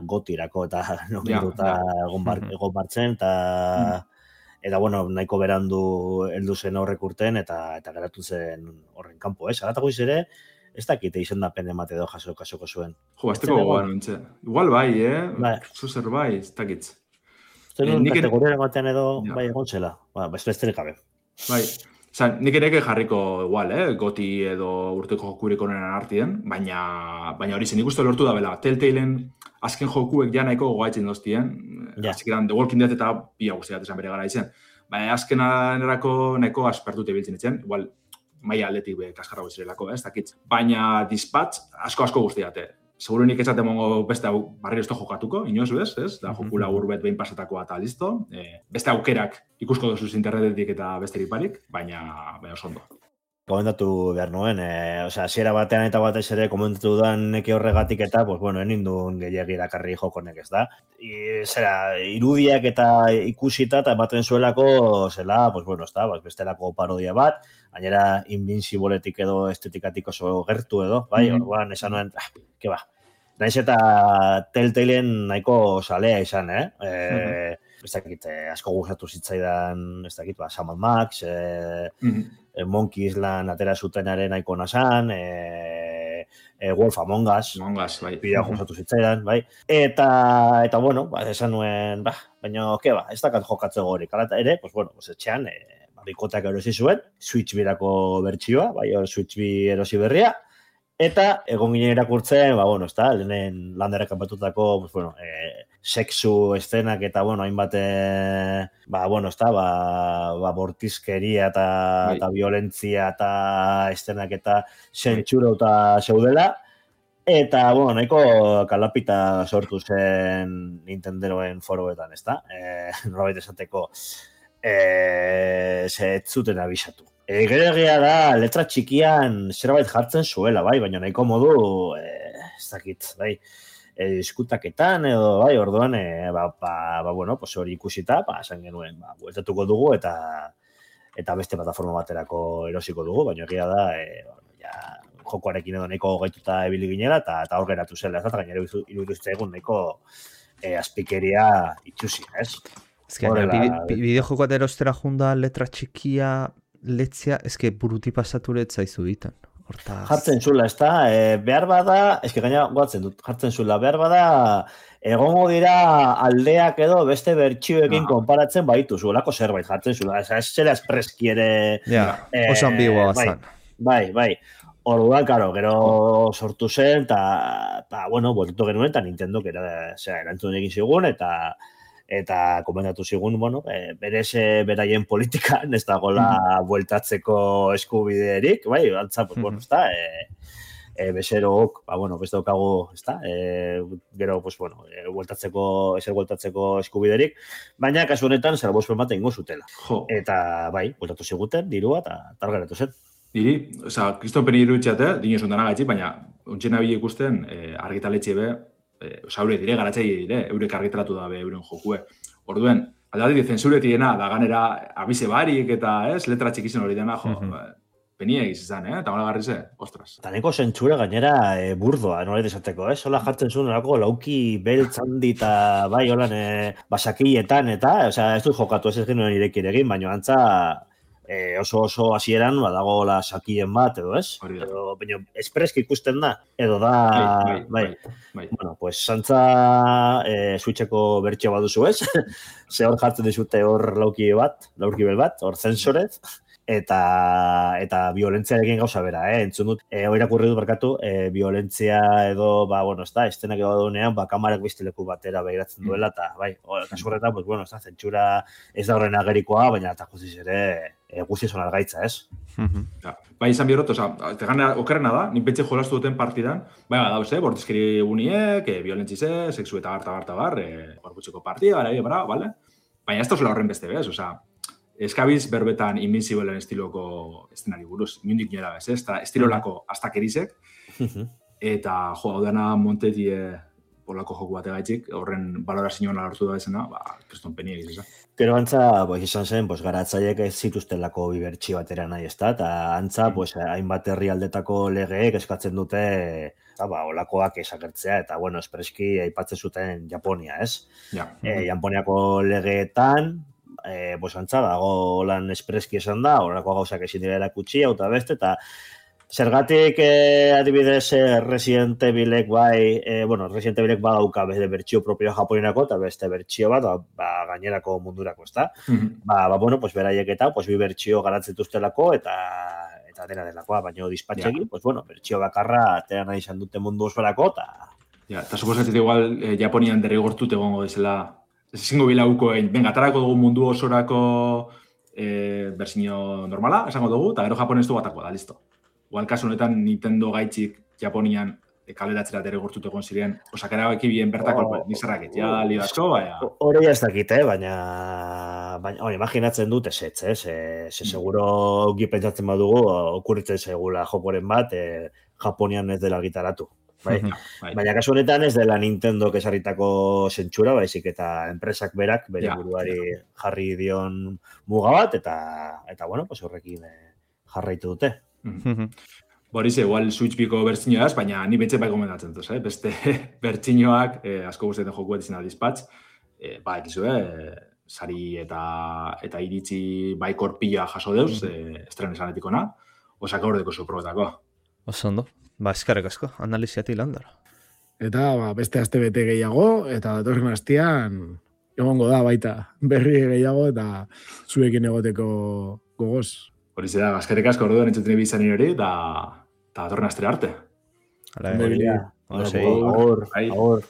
gotirako eta nominduta egon bartzen, eta bueno, nahiko berandu heldu zen horrek urten, eta geratu zen horren kanpo, Agatako ere, ez dakite izendapen emate edo jasoko zuen. Jo, azteko gogoan nintxe. Igual bai, Zuzer bai, ez dakitz. Nik kategoria ematean edo bai egon zela. Besterik gabe. Bai, nik ere jarriko igual, goti edo urteko jokurik honen artien, baina hori zen ikustu lortu da bela. Telltalen azken jokuek ja nahiko gogaetzen doztien. Azikeran, The Walking Dead eta pia guztiak esan bere gara izen. Baina azkenan erako nahiko aspertute biltzen itzen. Igual, maia aldetik kaskarra guztirelako, ez dakitz. Baina Dispatch asko guztiate. Segurunik ez mongo beste barriro esto jokatuko, inoz bez, ez? Da joku labur bet behin pasatakoa eta listo. Beste aukerak ikusko dozuz internetetik eta besterik barik, baina oso ondo. Komentatu behar nuen, hasiera batean eta batez ere komentatu dudan neke horregatik eta, pues bueno, enindun gehiagi dakarri jokonek, ez da. Irudiak eta ikusita eta ematen zuelako, zela, pues bueno, ez da, bestelako parodia bat, gainera Invincibleetik edo estetikatiko oso gertu edo, bai, orduan esan nuen, ke ba. Naiz eta Telltalen nahiko salea izan, ez dakit, asko gustatu zitzaidan, ez dakit, Sam & Max, Monkey Island atera zutenaren nahiko nasan, Wolf Among Us, pila gustatu zitzaidan, bai. Eta bueno, esan nuen, baina, ez dakat jokatze gorik, ala ere, pues bueno, etxean, bikoteak erosi zuen, Switch birako bertsioa, bai, Switch bi erosi berria, Eta egon ginen irakurtzen, bueno, lehenen landerrek kanpatutako, sexu eszenak eta, hainbat, bortizkeria eta violentzia eta eszenak eta sentsura zeudela. Eta, nahiko kalapita sortu zen Nintendoen foroetan, norabait esateko, ez zuten abisatu. Gero egia da, letra txikian zerbait jartzen zuela, baina nahiko modu, ez dakit, diskutaketan edo, orduan, hori ikusita, esan genuen, bueltatuko dugu eta beste plataforma baterako erosiko dugu, baina egia da, jokoarekin edo nahiko gaituta ebili ginela eta hor geratu zela, ez da, gainera iruduzte egun nahiko azpikeria itxusia, ez? Ez que, bideojokoa erostera junda letra txikia letzea, ez que buruti pasaturet zaizu ditan. Jartzen zula, ez da, behar bada, ez que gaina goatzen dut, jartzen zula, behar bada, egongo dira aldeak edo beste bertxioekin konparatzen baitu zuelako zerbait jartzen zula, ez zela espreski ere... oso ambigua bazan. Bai. Orduan, karo, gero sortu zen, eta bueltu genuen, eta Nintendo, erantzun egin zigun, eta komentatu zigun, berez beraien politikan, ez dagoela bueltatzeko eskubiderik, antza, bezerook, beste daukagu, gero, bueltatzeko eskubiderik, baina, kasu honetan, salbospen bat egingo zutela. Eta, bueltatu ziguten, dirua, eta targaratu zen. Niri, kriston peni iruditxate, dino zuntan agatzi, baina ontsen nabile ikusten argitaletxe be, haure dire, garatzei dire, eurek argitaratu da be euren jokue. Orduen, aldati zensuretiena, da ganera abise barik eta letra txikizen hori dena, penia egiz izan, eta hola garrize, ostras. Eta neko zentsura gainera burdoa, nola esateko, hola jartzen zuen orako lauki beltz handi eta holan basakietan eta, ez dut jokatu ez genuen irekir egin, baina antza oso hasieran badago la sakien bat edo ez? Baina espreski ikusten da edo da Bueno, pues santza Switcheko bertxio baduzu ez? Ze hor jartzen dizute hor laurkibel bat, hor zensorez eta violentziarekin gauza bera, entzun dut, irakurri dut barkatu, violentzia edo, estenak edo dunean, kamarak beste leku batera behiratzen duela, eta, kasu horretan, zentsura ez da horren agerikoa, baina eta guztiz ere, guztiz hona algaitza, ez? Izan bihorot, okerrena da, ninpentxe jolastu duten partidan, dauz, bortizkeri uniek, violentzize, sexu eta bar, gorputxeko partida, bale? Baina ez da horren beste bez, eskabiz berbetan Invincibleen estiloko eszenari buruz, mindik nera bez, estilolako astakerizek, eta hau dena Montetie polako joku bate gaitxik, horren balorazioan alartu da esena, kriston peni egiz. Gero antza, izan zen, garatzaiek ez zituztelako bibertsi batera nahi, eta antza, hainbat herrialdetako legeek eskatzen dute olakoak esakertzea, eta, espreski aipatzen zuten Japonia, ez? Japoniako legeetan, antza, dago lan espreski esan da, horako gauzak ezin dira erakutsi, eta beste, eta zergatik adibidez Resident Evilek Resident Evilek badauka beste bertsio propioa japonerako, eta beste bertsio bat, gainerako mundurako, ezta? Beraiek eta, bi bertsio garatzetuztelako, eta dena delakoa, baina dispatxegin, bertsio bakarra atera nahi izan dute mundu osorako, eta suposatzen igual Japonian derrigortut egongo dizela, ezingo bilauko egin, atarako dugu mundu osorako bersinio normala, esango dugu, eta gero japonestu batako da, listo. Igual kasu honetan Nintendo gaitxik Japonian kaleratzera derrigortut egon ziren, osakera ekibien bertako nizarrak li asko, baina... Hori ez dakit, baina imaginatzen dut ezetz, seguro ongi pentsatzen badugu, okurritzen segula jokoren bat, Japonian ez dela gitaratu. Baina kasu honetan ez dela Nintendo kesarritako zentsura, baizik eta enpresak berak bere buruari jarri dion muga bat, eta horrekin jarraitu dute. Borize, igual Switch biko bertzinioaz, baina ni betxe bai gomendatzen duz, beste bertzinioak asko guztietan jokuet izan aldizpatz, sari eta iritzi bai korpila jaso deuz, estren esanetikona, osaka hordeko zuprobetako. Oso ondo. Eskarek asko, analiziatik landara. Eta beste aste bete gehiago, eta datorren astean egongo da baita berri gehiago, eta zuekin egoteko gogoz. Horize da, eskarek asko orduan entzuten bizan hori, eta datorren astera arte. Hala, Ondo ibili. Agur.